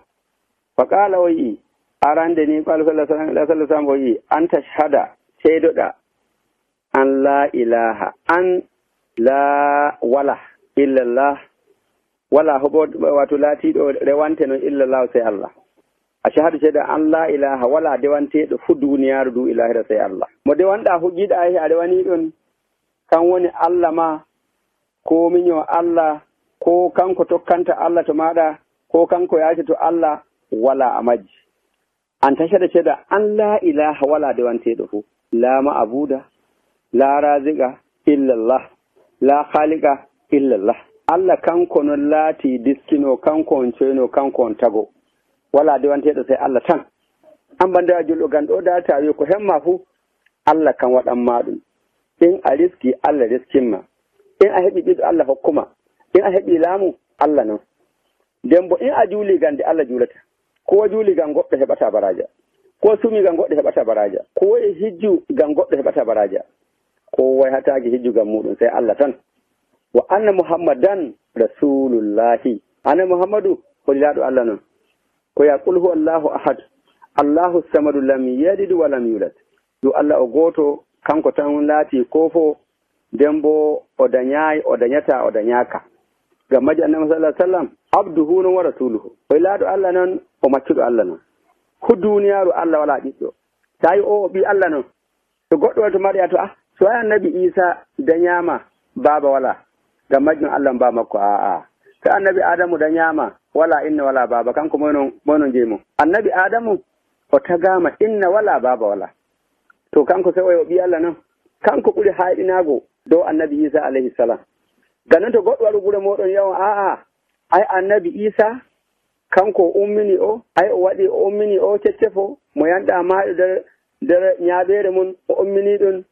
fa qala o yi arande ni qala sallallahu alaihi wasallam o yi an tashhada shaydoda an la ilaha an la wala illallah wala hobo wato latiɗo rewante non illallah sai Allah a shahadu sheda an la ilaha wala dewanteɗo fu duniyaru du ilahira sai Allah mo dewanɗa fu giɗa he a rewani ɗon kan woni Allah ma ko miño Allah ko kanko tokkanta Allah to maɗa ko kanko yaati to Allah wala a majji an tashada sheda an la ilaha wala dewanteɗo fu la ma'abuda la raziqa illallah la khaliqa illallah Allah kanko non laati diskino kanko on coyno kanko on tago wala dewanteɗo sai Allah tan an banda julɗo gan ɗo data wi ko hemma fu Allah kan waɗanma ɗum in a riski Allah riskinma in a heɓi ɓiɗɗo Allah hokkuma in a heɓi laamu Allah non nden bo in a juuli gande Allah juulata ko juuli gan goɗɗo heɓata baraja ko sumi gan goɗɗo heɓata baraja ko e hijju gan goɗɗo heɓata baraja ko wayhataki hijju gan muɗum sai Allah tan wa anna muhammadan rasulullahi anna muhammadu holilaɗo Allah non ko ya qul huwa allahu ahad allahu samadu lam yalid wa lam yulad yo Allah o goto kanko tan laati kofo nden bo o dañayi o dañata o dañaka ngam maji annabi sallallahu alaihi wasallam abduhu non wa rasuluhu holilaɗo Allah non o maccuɗo Allah non hu duniyaru Allah wala ɓiɗɗo tawi o ɓi Allah non to goɗɗo wato mariya to so annabi Isa dañama baba wala ngam majjum Allah mba makko to annabi Adamu dañama wala inna wala baba kanko moynon jeymo annabi Adamu o tagama inna wala baba wala to kanko sai o ɓi Allah non kanko ɓuri hayɗinago dow annabi Isa alayhi salam ganon to goɗɗo waɗu ɓura moɗon yawa ay annabi Isa kanko ummini o ay o waɗi o ummini o ceccefo mo yanɗa maɗo nder ñaaɓere mum o ummini ɗum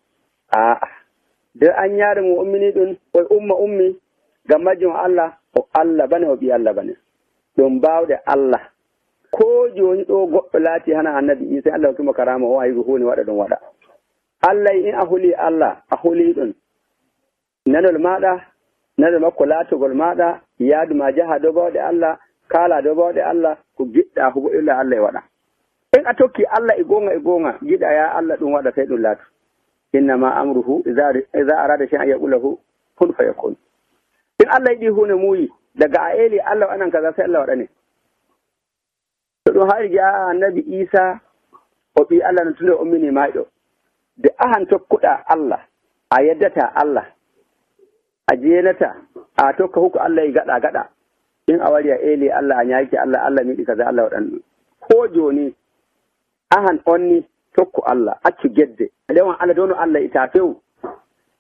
nder anñaare mum ummini ɗum o ummi ngam majjum Allah o Allah bane o ɓi Allah bane ɗum mbawɗe Allah ko joni ɗo goɗɗo laati hana annabi Isa Allah hokkimo karama o ayi ko hunde waɗa ɗum waɗa Allah in a huli Allah a huli ɗum nanol maɗa nanol makko laatogol maɗa yaadu ma jaha dow bawɗe Allah kala dow bawɗe Allah ko giɗɗa hubo illa Allah e waɗa in a tokki Allah e gonga giɗa ya Allah ɗum waɗa sai ɗum laatu innama amruhu iza arada shay'an yaqulahu kun fayakun in Allah yiɗi hunde muuyi daga a eli Allah anan kaza sai Allah waɗane to ɗum haari ja annabi Isa o ɓi Allah no tunde ummini maɗo de ahan tokkuɗa Allah a yeddata Allah a jeenata a tokka hukku Allah e gaɗa in a wari a eli Allah a ñaaki Allah miɗi kaza Allah waɗan ko joni ahan onni tokku Allah accu gedde lewan Allah dono Allah ita few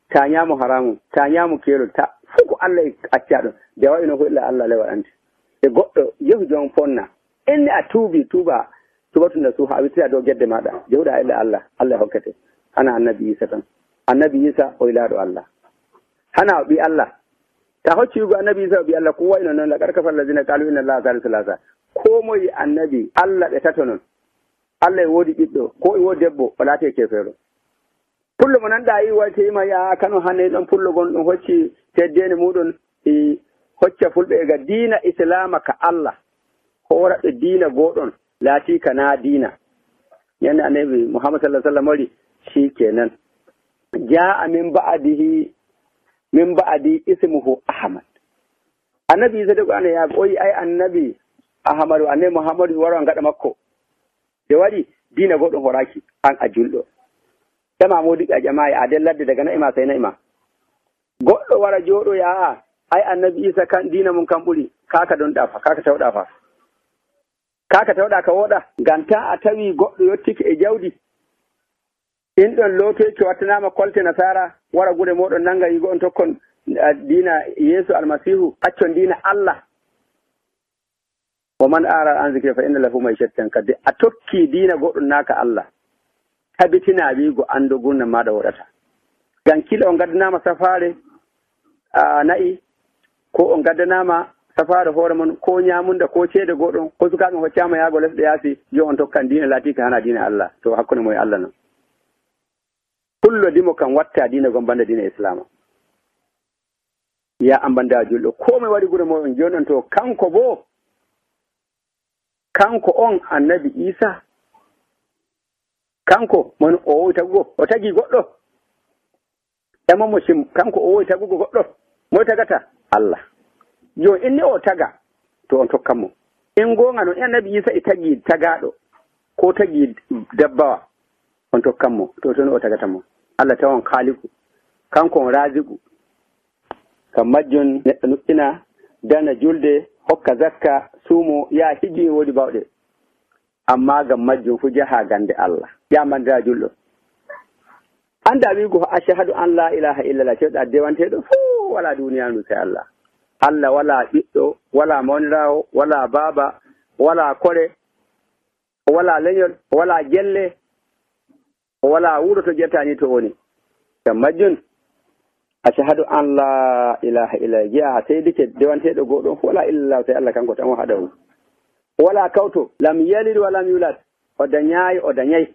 ta nyaamu haramu ta nyaamu kelol ta fuku Allah acca ɗum de wayno ko illa Allah le waɗante e goɗɗo yehu jon fonna inni a tuba tubatunda suha a wittira dow gedde maɗa jehuɗa illa Allah hokkete hana annabi Isa tan annabi Isa o ilaɗo Allah hana o ɓi Allah ta hocci yugo annabi Isa o ɓi Allah ko wayno noon laqad kafara allazina qalu inna allaha thalithu thalatha ko moye annabi Allah ɓe tato non Allah e woodi ɓiɗɗo ko e woodi debbo o laate kefeero pullo mo nanɗa yi wayteyima ya kano hannde ɗon pullo gon ɗum hocci teddede muɗum e hocca fulɓe e ga diina islama ka Allah horaɓe diina goɗon laati ka na diina yande annabi Muhammad sallallahu alaihi wasallam wari shikenan jaa min ba'di ismuhu Ahmad annabi Isa de ko ana ya oyi ay annabi Ahmadu annabi Muhammadu waro ngaɗa makko de waɗi diina goɗɗum horaki an a julɗo ema modiɓe a ƴamayi a del ladde daga na'ima sai na'ima goɗɗo wara jooɗo ay annabi Isa kan diina mum kan ɓuri kaka don ɗafa kaka tawɗa fa kaka tawɗa ka woɗa ngam ta a tawi goɗɗo yottike e jawdi in ɗon lootoyke wattanama kolte nasara wara gure moɗon nanga yigo on tokkon diina yeesu almasihu accon diina Allah wa man ara an zikri fa inna lahu ma'ishatan kadde a tokki diina goɗɗum naka Allah tabitina wiigo ando gurna maɗa woɗata ngam kila on gaddanama safare na'i ko on gaddanama safare hoore mon ko ñamunda ko ceede goɗɗon ko sukaɓe hoccama yaago lesɗe yaasi yo on tokkan diina laatika hana diina Allah to hakkunde moye Allah noon pullo dimo kam watta diina gon banda diina islama ya ambanda julɗo ko moye waɗi gure moɗon joni on to kanko on annabi Isa kanko mon o wowi tagugo o tagi goɗɗo ƴamamo sim kanko o wowi tagugo goɗɗo moye tagata Allah jo inni o taga to on tokkanmo in gonga noon annabi Isa e tagi tagaɗo ko tagi dabbawa on tokkanmo to toon o tagatamo Allah tawon kaaliku kanko on raziku kam majjon neɗɗo nuɗɗina dana julde hokka zakka suumo ya hiji woodi bawɗe amma gam majjum fu jaha gande Allah yamandira julɗo anda wiigo ashhadu an la ilaha illallah cewɗa dewanteɗo fuu wala duniyaru sai Allah Allah wala ɓiɗɗo wala mawnirawo wala baaba wala kore wala leñol wala jelle wala wuro to jettani to woni gam majjum ashhadu an la ilaha illallah jeeya seydike dewanteɗo goɗon fu wala illallah sai Allah kanko tan o haɗahu wala kawto lam yalid walam yulad o dañayi o dañayi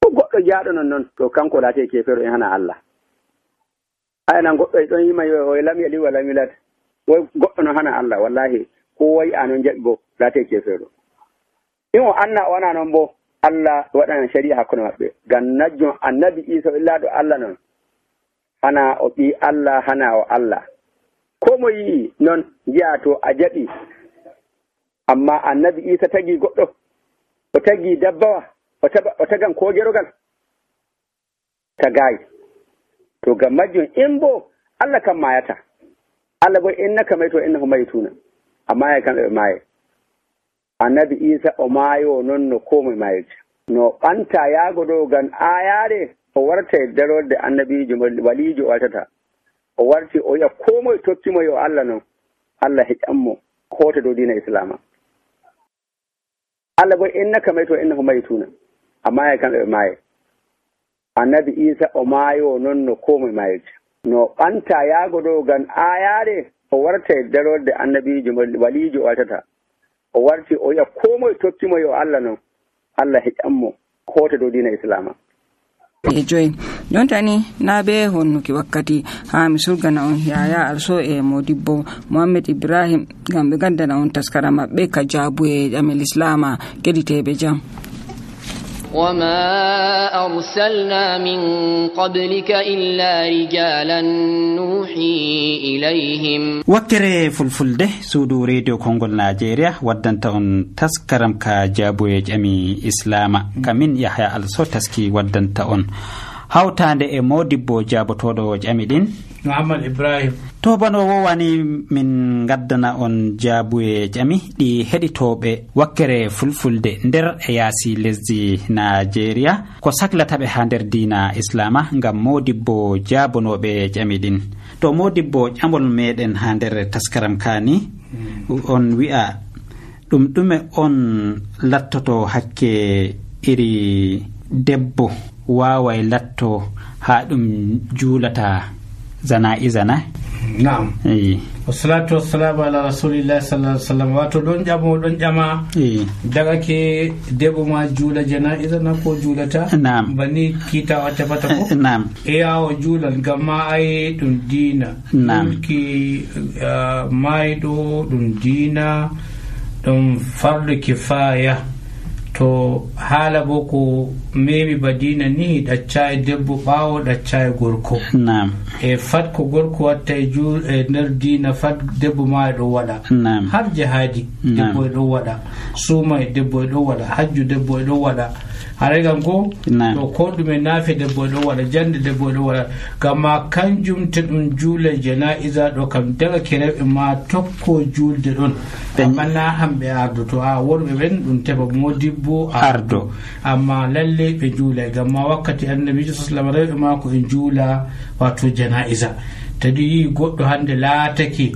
ko goɗɗo jaaɗo noon to kanko laate kefero en hana Allah aynan goɗɗo e ɗon yima o lam yalid walam yulad woy goɗɗo noon hana Allah wallahi ko wayi anon jaɓi bo laate kefero in o anna o wana noon bo Allah waɗana sharia hakkude maɓɓe ngam najjon annabi Isa illaɗo Allah noon hana o ɓi Allah hana o Allah ko mo yii noon jiya to a jaɓi amma annabi Isa tagi goɗɗo o tagi dabbawa o tagan ko gerogal tagayi to gam majjum in bo Allah kam mayata Allah bo innaka mayto innahu maytuna amma ya kamɓe ɓe maaye annabi Isa o maayo noon no komoye mayirta no ɓanta yaago ɗo gam ayare o warta e darorde annabijo walijo o wartata o warti o yiya komoye tokkimo yo Allah noon Allah heƴanmo hoota dow diina islama Allah bo innaka mayto innahu maytuna amma ya kamɓe ɓe maaye annabi Isa o maayo noon no komoye mayirta no ɓanta yaago ɗo gam ayare o warta e darorde annabijo walijo o wartata o warti o yiya komoye tokkimo yo Allah noon Allah heƴanmo hoota dow diina islama e joyi jontani na be honnuki wakkati ha mi surgana on yaya also e modibbo Mohammed Ibrahim gam ɓe gaddana on taskara maɓɓe ka jaabu e ƴamel islama keɗiteɓe jam وما أرسلنا من قبلك إلا رجالا نوحي إليهم وكري فلفلده سودو راديو كونغول نيجيريا ودنت اون تسكرم كا جابوي جامي اسلاما كمين يحيى الصو تسكي ودنت اون hawtande e modibbo jabotoɗo ƴami ɗin Muhammad Ibrahim to bano wowani min gaddana on jaabuye ƴami ɗi heɗitoɓe wakkere fulfulde nder e yaasi lesdi Nigeria ko saklataɓe ha nder diina islama ngam modibbo jaabonoɓe ƴami ɗin to modibbo ƴamol meɗen ha nder taskaram kani on wi'a ɗum ɗume on lattoto hakke iri debbo wawai latto ha ɗum juulata zana na'am wassalatu wassalamu ala rasulillahi sallallahu alaihi wasallam wato ɗon ƴama daga ke debbo ma juula janaiza na ko juulata na'am bani kita o tefata ko na'am e yawo juulal ngam ma ay ɗum diina ki mayɗo ɗum diina ɗum fardu kifaya to haala bo ko memi badina ni ɗacca e debbo ɓaawo ɗacca e gorko e fat ko gorko watta e nder dina fat debbo ma e ɗo waɗa har jihadi debbo e ɗo waɗa suuma e debbo e ɗo waɗa hajju debbo e ɗo waɗa haray gam ko to ko ɗume nafe debbo ɗo waɗa jande debbo ɗo waɗa gamma kanjum to ɗum juula janaiza ɗo kam daga kerewɓe ma tokko julde ɗon amma na hamɓe ardo to a worɓe ɓen ɗum tefa modibbo ardo amma lalle ɓe juulay gamma wakkati annabijo sallam rewɓe mako en juula wato janaiza tadi yi goɗɗo hande laatake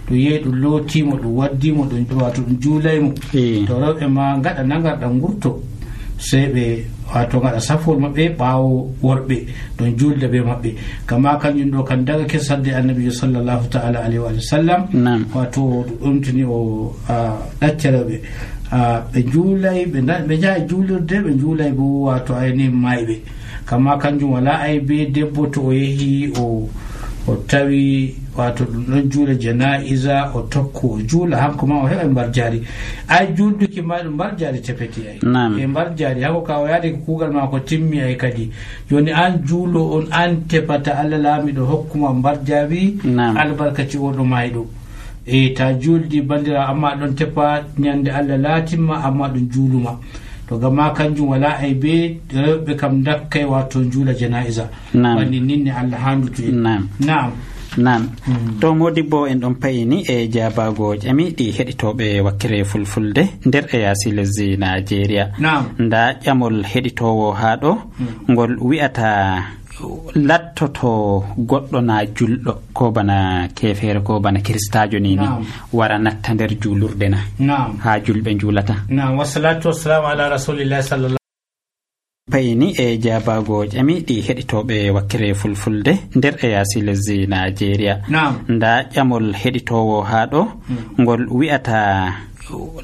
to yehi ɗum lootimo ɗum waddimo ɗum wato ɗum juulaymo to rewɓe ma gaɗa nagarɗam gurto sey ɓe wato gaɗa safol maɓɓe ɓaawo worɓe ɗon julde be maɓɓe kama kanjum ɗo kan daga kessadde annabijo sallllahu taala alayhi wa sallam wato ɗumtini o ɗaccereɓe ɓe juulay ɓe jaha juulirde ɓe juulay bo wato ayni mayɓe kama kanjum wala ay be debbo to o yehi o tawi wato ɗum ɗon juula janaiza o tokko o juula hanko ma o heɓa mbar jari ay julduki ma ɗum mbar jari tefeti ay e mbar jari hanko ka o yaade ko kuugal ma ko timmi ay kadi joni an juulo on an tefata Allah laamiɗo hokkuma mbar jari albarkaci oɗo mayɗo e ta juldi bandira amma ɗon tepa ñande Allah laatimma amma ɗum juuluma to gamma kanjum wala ay be rewɓe kam dakkay wato juula janaiza wandi ninne Allah handutu nam to modibbo en ɗon payini e jabago ƴami ɗi heɗitoɓe wakkere fulfulde nder e yaasi lesdi Nigeria nda ƴamol heɗitowo ha ɗo ngol wi'ata lattoto goɗɗo na julɗo ko bana kefere ko bana kristajo ni wara natta nder julurde na ha julɓe julata wassalatu wassalamu ala rasulillahi sallallahu payini e jabago ƴami ɗi heɗitoɓe wakkere fulfulde nder e yaasi lesdi Nigeria nda ƴamol heɗitowo ha ɗo ngol wi'ata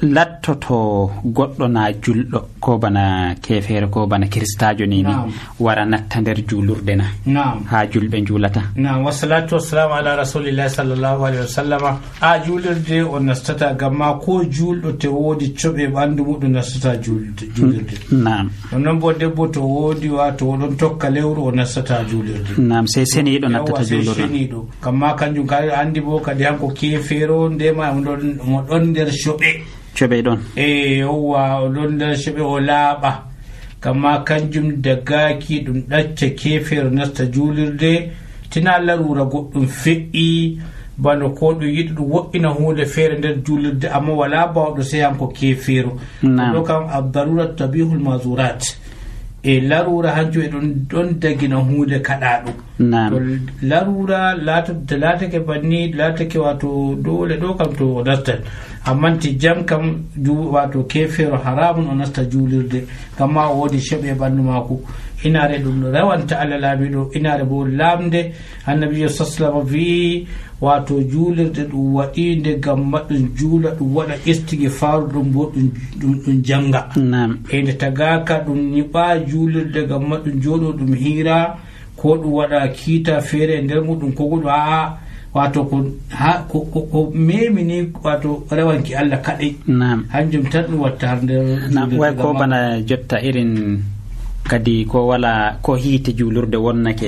lattoto goɗɗo na julɗo ko bana kefere ko bana kristajo ni wara natta nder julurde na ha julɓe julata wassalatu wassalamu ala rasulillahi sallallahu alaihi wasallama a julirde o nastata gamma ko julɗo te woodi coɓe ɓandu muɗum nastata julirde non bo debbo to woodi wato oɗon tokka lewru o nastata julirde sey seniɗo nattata julurde gamma kanjum ka andi bo kadi hanko kefero ndema mo ɗon nder coɓe ɗon yowwa o ɗon nder coɓe o laaɓa kamma kanjum dagaki ɗum ɗacca kefere nasta julirde tina larura goɗɗum feƴƴi bano ko ɗum yiɗi ɗum woɗɗina hunde feere nder julirde amma wala bawɗo sey hanko kefero ɗo kam abdarurat tabihul mazurat e larura hanjum e ɗon dagina hunde kaɗaɗum larura laatake banni laatake wato dole ɗo kam to o nastat amma ti jam kam wato kefero haramun o nasta julirde kamma o woodi coɓe ɓandu mako inare ɗum rewanta Allah laamiɗo inare bo lamde annabijo sallallahu wi wato julirde ɗum waɗinde gam ɗum juula ɗum waɗa istighfaru ɗum bo ɗum janga e nde tagaka ɗum ñiɓa julirde gam ɗum joɗo ɗum hira ko ɗum waɗa kiita feere e nder muɗum ko goɗo a wato ko memini wato rewanki Allah kaɗai hanjum tan ɗum watta har nder way ko bana jotta irin kadi ko wala ko hiite julurde wonnake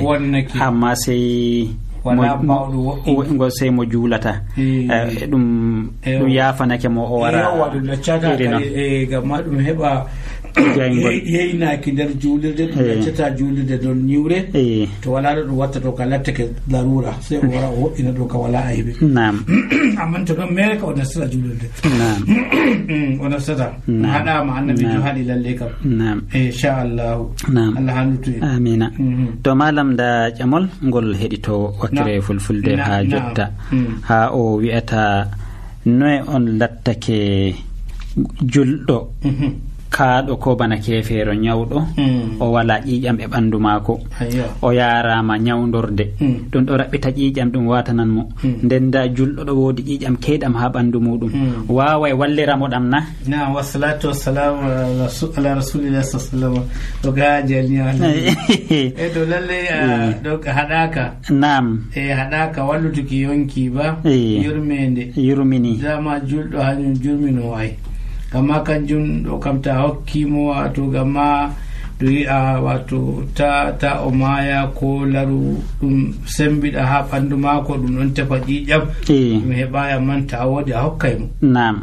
amma sey wala bawɗo woɗɗingo sey mo juulata ɗum yafanake mo o wara ɗum laccata gamma ɗum heɓa yeynaki nder julirde ɗum laccata julirde ɗon ñiwre to wala ɗo ɗum watta ɗo ka lattake larura sey o wara o woɗɗina ɗo ka wala aybe amma to ɗon mere ka o nastata julirde o nastata haɗama annabijo haɗi lalle kam inchallahu Allah handutu amina to malam da ƴamol ngol heɗito wakkere fulfulde ha jotta ha o wi'ata noye on lattake julɗo kaaɗo ko bana kefeero ñawɗo o wala ƴiiƴam e ɓanndu maako o yarama ñawdorde ɗum ɗo raɓɓita ƴiiƴam ɗum watanan mo nden da julɗo ɗo woodi ƴiiƴam keyɗam ha ɓanndu muɗum wawa e walliramo ɗam na wassalatu wassalamu ala rasulillahi sallallahu ɗo ga jalniala e ɗo lalle ɗo haɗaka nam e haɗaka wallutuki yonki ba yurmede yurmini dama julɗo hañum jurmino ay gamma kanjum ɗo kam ta hokkimo wato gamma ɗo yi'a wato ta o maya ko laru ɗum sembiɗa ha ɓandu mako ɗum ɗon tefa ƴiƴam ɗum heɓaya man ta woodi a hokkay mo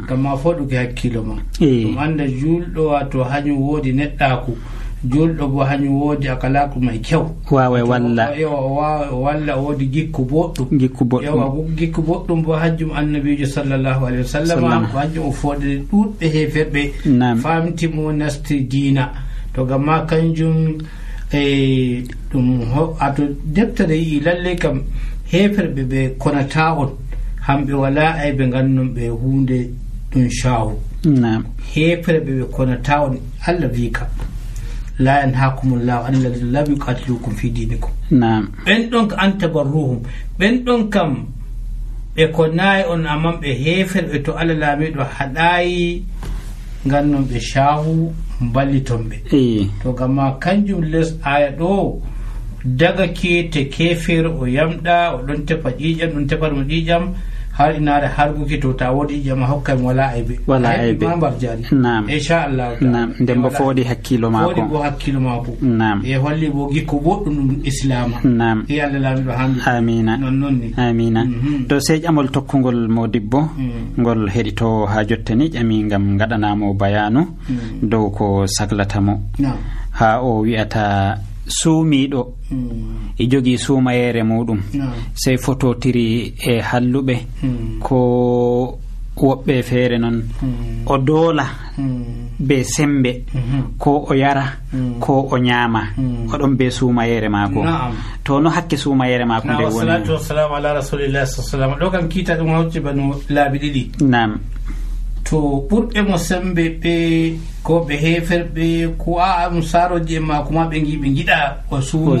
gamma foɗuki hakkilo ma ɗum anda julɗo wato hañum woodi neɗɗaku julɗo bo hañum woodi akalaku may kew wawa walla woodi gikku boɗɗum gikku boɗɗum bo hajjum annabijo sallllahu alayhi wa sallam ko hajjum o fooɗe ɗuɗɓe heferɓe famtimo nasti diina to gamma kanjum ɗum ato deftere yi lalle kam heferɓe ɓe konata on hamɓe wala ay ɓe gannon ɓe hunde ɗum shawu heferɓe ɓe konata on Allah wi kam la yanhakumullahu an alladhina lam yuqatilukum fi dinikum ɓen ɗon ka an tabarruhum ɓen ɗon kam ɓe konayi on amman ɓe heferɓe to Allah laamiɗo haɗayi gannon ɓe shahu balliton ɓe to gamma kanjum les aya ɗo daga kete kefere o yamɗa o ɗon tefa ƴiƴam ɗum tefatmo ƴiƴam har inaare harguki to ta woodi ƴiƴam a hokkami wala aybe mambar jari inchallahu nden bo foodi hakkilo maako bo hakkilo maako e holli bo gikko boɗɗum ɗum islama e Allah laamiɗo hamdi amina nonni amina to sey ƴamol tokkugol modibbo ngol heɗito ha jottani ƴami ngam gaɗanamo bayanu dow ko saglatamo ha o wi'ata suumiɗo e jogii suumayere muɗum sey fototiri e halluɓe ko woɓɓe feere noon o doola be sembe ko o yara ko o ñaama oɗon be suumayere maako to no hakke suumayere maako nde woni salatu wassalamu ala rasulillahi sallam ɗo kam kiita ɗum hawti bano laabi ɗiɗi nam to ɓurɓe mo sembe ɓe ko ɓe heferɓe ko ɗum saroji e maako ma ɓe giɗa o suumu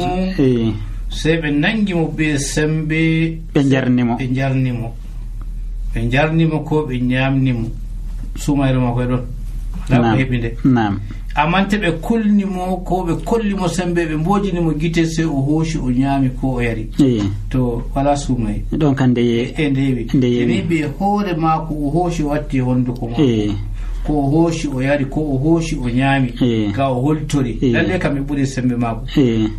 sey ɓe nangimo be sembe ɓe jarnimo ko ɓe ñamnimo sumayre makko e ɗon laɓo heɓi nde amante ɓe kulnimo ko ɓe kollimo sembe ɓe mbojinimo guite sey o hooshi o ñaami ko o yari to wala suumaye ɗon kan ndewi ɓe hoore maako o hooshi o watti honduko maako ko o hooshi o yari ko o hooshi o ñaami ga o holtori lalle kam ɓe ɓuri sembe maako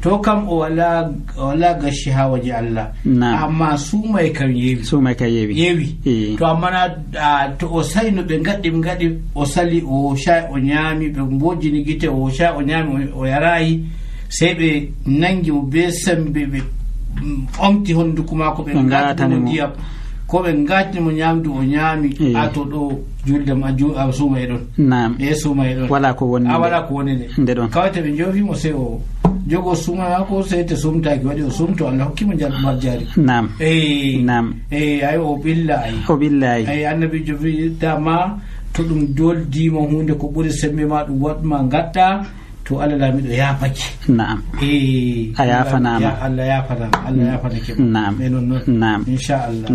to kam o wala gashi ha waje Allah amma suumay kam yewi to amma to o sali no ɓe gaɗi o sali o hosha o ñaami ɓe mbojini gite o hosha o ñaami o yarayi sey ɓe nangi mo be sembe ɓe omti honduko maako ɓe gaɗimo ndiyam ko ɓe gatnimo ñamdu o ñaami a to ɗo julde ma suuma e ɗon suuma e ɗon wala ko woni nde ɗon kawate ɓe joofimo sey o jogo suuma mako sey te sumtaki waɗi o sumto Allah hokkimo jalɗumar jaari ay o ɓilla ay annabijo wi dama to ɗum doldima hunde ko ɓuri sembe ma ɗum waɗma gaɗɗa to Allah laamiɗo yaafake a yafanama Allah yafanake noon inchallah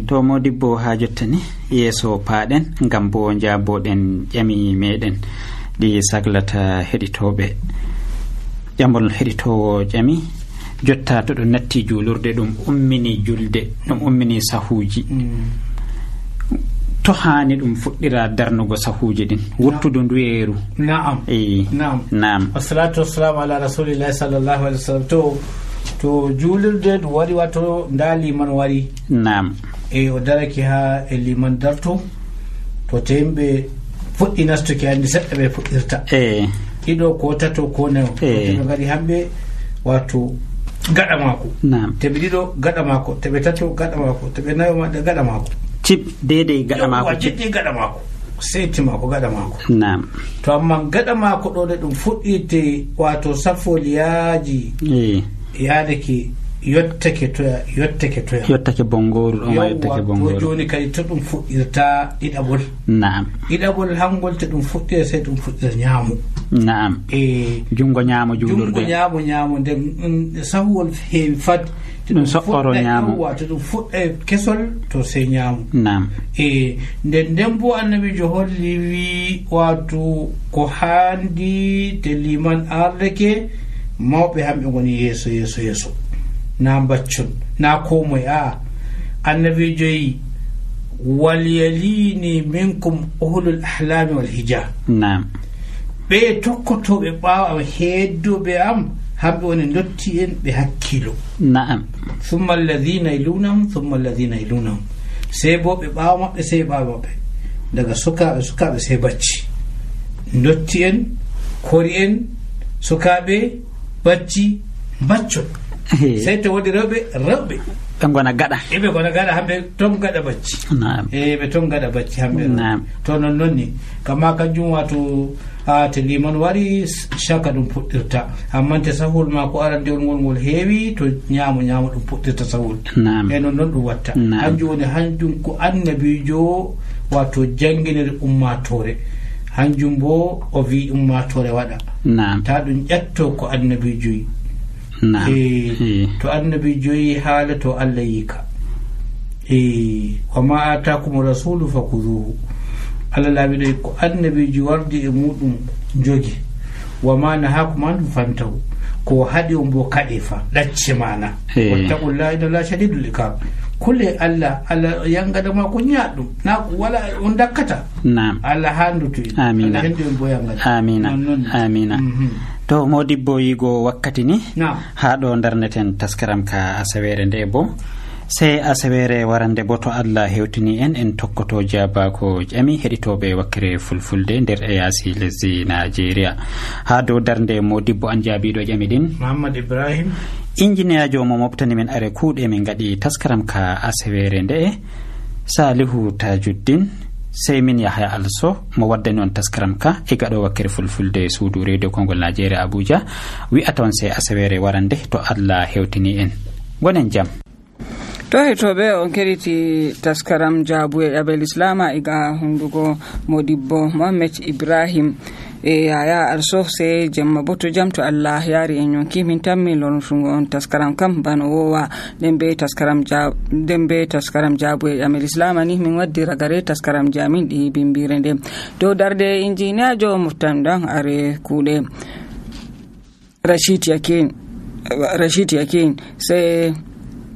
to modibbo ha jottani yeeso paaɗen ngam bo jaaboɗen ƴami meɗen ɗi saglata heɗitoɓe ƴamol heɗitowo ƴami jotta to ɗum natti juulurde ɗum ummini julde ɗum ummini sahuji to hani ɗum fuɗɗira darnugo sahuji ɗin wurtudu nduyeru na'am wassalatu wassalamu ala rasulillahi sallallahu alaihi wasallam to juulirde ɗum waɗi wato nda liman wari o daraki ha e liman darto to te yimɓe fuɗɗi nastuki andi seɗɗa ɓe fuɗɗirta ɗiɗo ko tato ko nayo ɓe gari hamɓe wato gaɗa mako teɓe ɗiɗo gaɗa mako teɓe tato gaɗa mako teɓe nayo maɗa gaɗa mako cip dede gaɗa mako gaɗa mako seyti mako gaɗa mako to amma gaɗa mako ɗo de ɗum fuɗɗirte wato safoliyaji yaadake yottake bongoru ɗo joni kadi to ɗum fuɗɗirta ɗiɗaɓol hangol te ɗum fuɗɗira sey ɗum fuɗɗira ñaamu jungo ñaamo juulurde ñaamo nden sahuwol heewi fad ɗum soɓɓoro ñaamo to ɗum fuɗɗa kesol to sey ñaamu nden bo annabijo holli wi wato ko haandi te liman ardake mawɓe hamɓe goni yeeso na baccon na komoye annabijo yi walyalini minkum uhlul ahlami wal hija ɓe tokkotoɓe ɓaawa heddoɓe am hamɓe woni dotti en ɓe hakkilo thumma alladhina yalunahum sey bo ɓe ɓaawa maɓɓe sey ɓaawa maɓɓe daga sukaɓe sey bacci dotti en kori en sukaɓe bacci baccol sey to woodi rewɓe ɓe gona gaɗa ɓe gona gaɗa hamɓe ton gaɗa bacci ɓe ton gaɗa bacci hamɓe to non ni kama kanjum wato te liman wari chaka ɗum puɗɗirta amma te sahul ma ko arandewol ngol heewi to ñamo ɗum puɗɗirta sahul e non ɗum watta hanjum woni hanjum ko annabijo wato janginere ummatore hanjum bo o wi ummatore waɗa ta ɗum ƴetto ko annabijo yi to annabijo yi haala to Allah yika wa ma atakum rasulu fakuduhu Allah laaɓiɗo ko annabijo wardi e muɗum jogi wa ma nahakum an fantahu ko haɗi on bo kaɗe fa ɗacce mana wattaqullaha inna allaha shadidul iqab kulle Allah yangadama ko ñaɗɗum na wala on dakkata Allah handutu amina amina to modibbo yigo wakkati ni ha ɗo darneten taskaram ka asawere nde bo sey asawere warande bo to Allah hewtini en tokkoto jabako ƴami heɗitoɓe wakkere fulfulde nder e yaasi lesdi Nigeria ha dow darnde modibbo an jaabiɗo ƴami ɗin Muhammad Ibrahim ingénieur mo moftani men are kuuɗe min gaɗi taskaram ka asawere nde Salihu Tajuddin sey min Yahya Also mo waddani on taskaram ka e gaɗo wakkere fulfulde suudu radio Kongol Nigeria Abuja wi'ata on sey asawere warande to Allah hewtini en gonen jam. To hetoɓe on keɗiti taskaram jaabu e ƴaɓel islama iga hundugo modibbo Mohammed Ibrahim e Yahya Also se jemma bo to jam to Allah yaari en yonki min tammi lornutugo on taskaram kam bano wowa nden be taskaram jaabu e ƴaɓel islama ni min waddi ragare taskaram jamin ɗi bimbire nde dow darde injiniya jo moftanɗan are kuuɗe Rashid Yakin se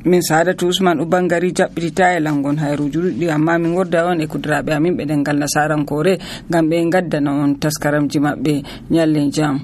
min Sadatu Usman Ubangari jaɓɓitita e langon hayruji ɗuɗɗi amma min worda on e kudiraɓe amin ɓe ɗengal nasarankore ngam ɓe gaddana on taskaramji maɓɓe nyalle jam.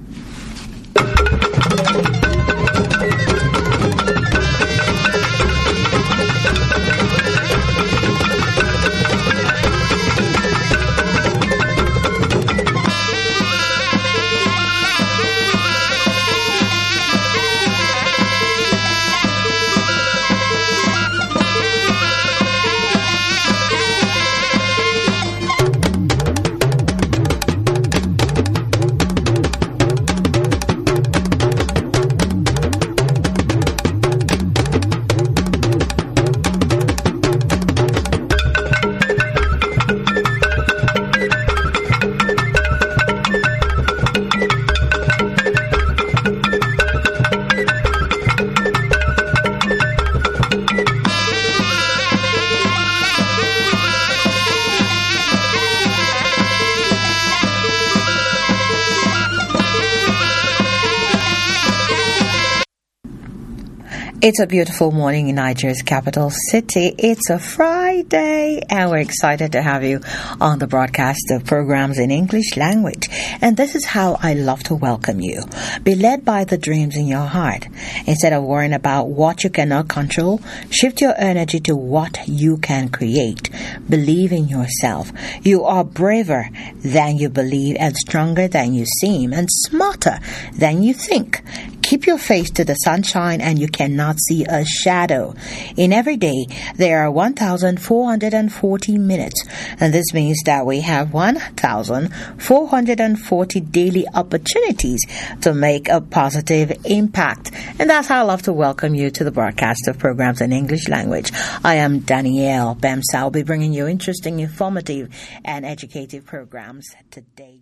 It's a beautiful morning in Nigeria's capital city. It's a Friday, and we're excited to have you on the broadcast of programs in English language. And this is how I love to welcome you. Be led by the dreams in your heart. Instead of worrying about what you cannot control, shift your energy to what you can create. Believe in yourself. You are braver than you believe, and stronger than you seem, and smarter than you think. Keep your face to the sunshine and you cannot see a shadow. In every day, there are 1,440 minutes, and this means that we have 1,440 daily opportunities to make a positive impact. And that's how I love to welcome you to the broadcast of programs in English language. I am Danielle Bemsa. I'll be bringing you interesting, informative, and educative programs today.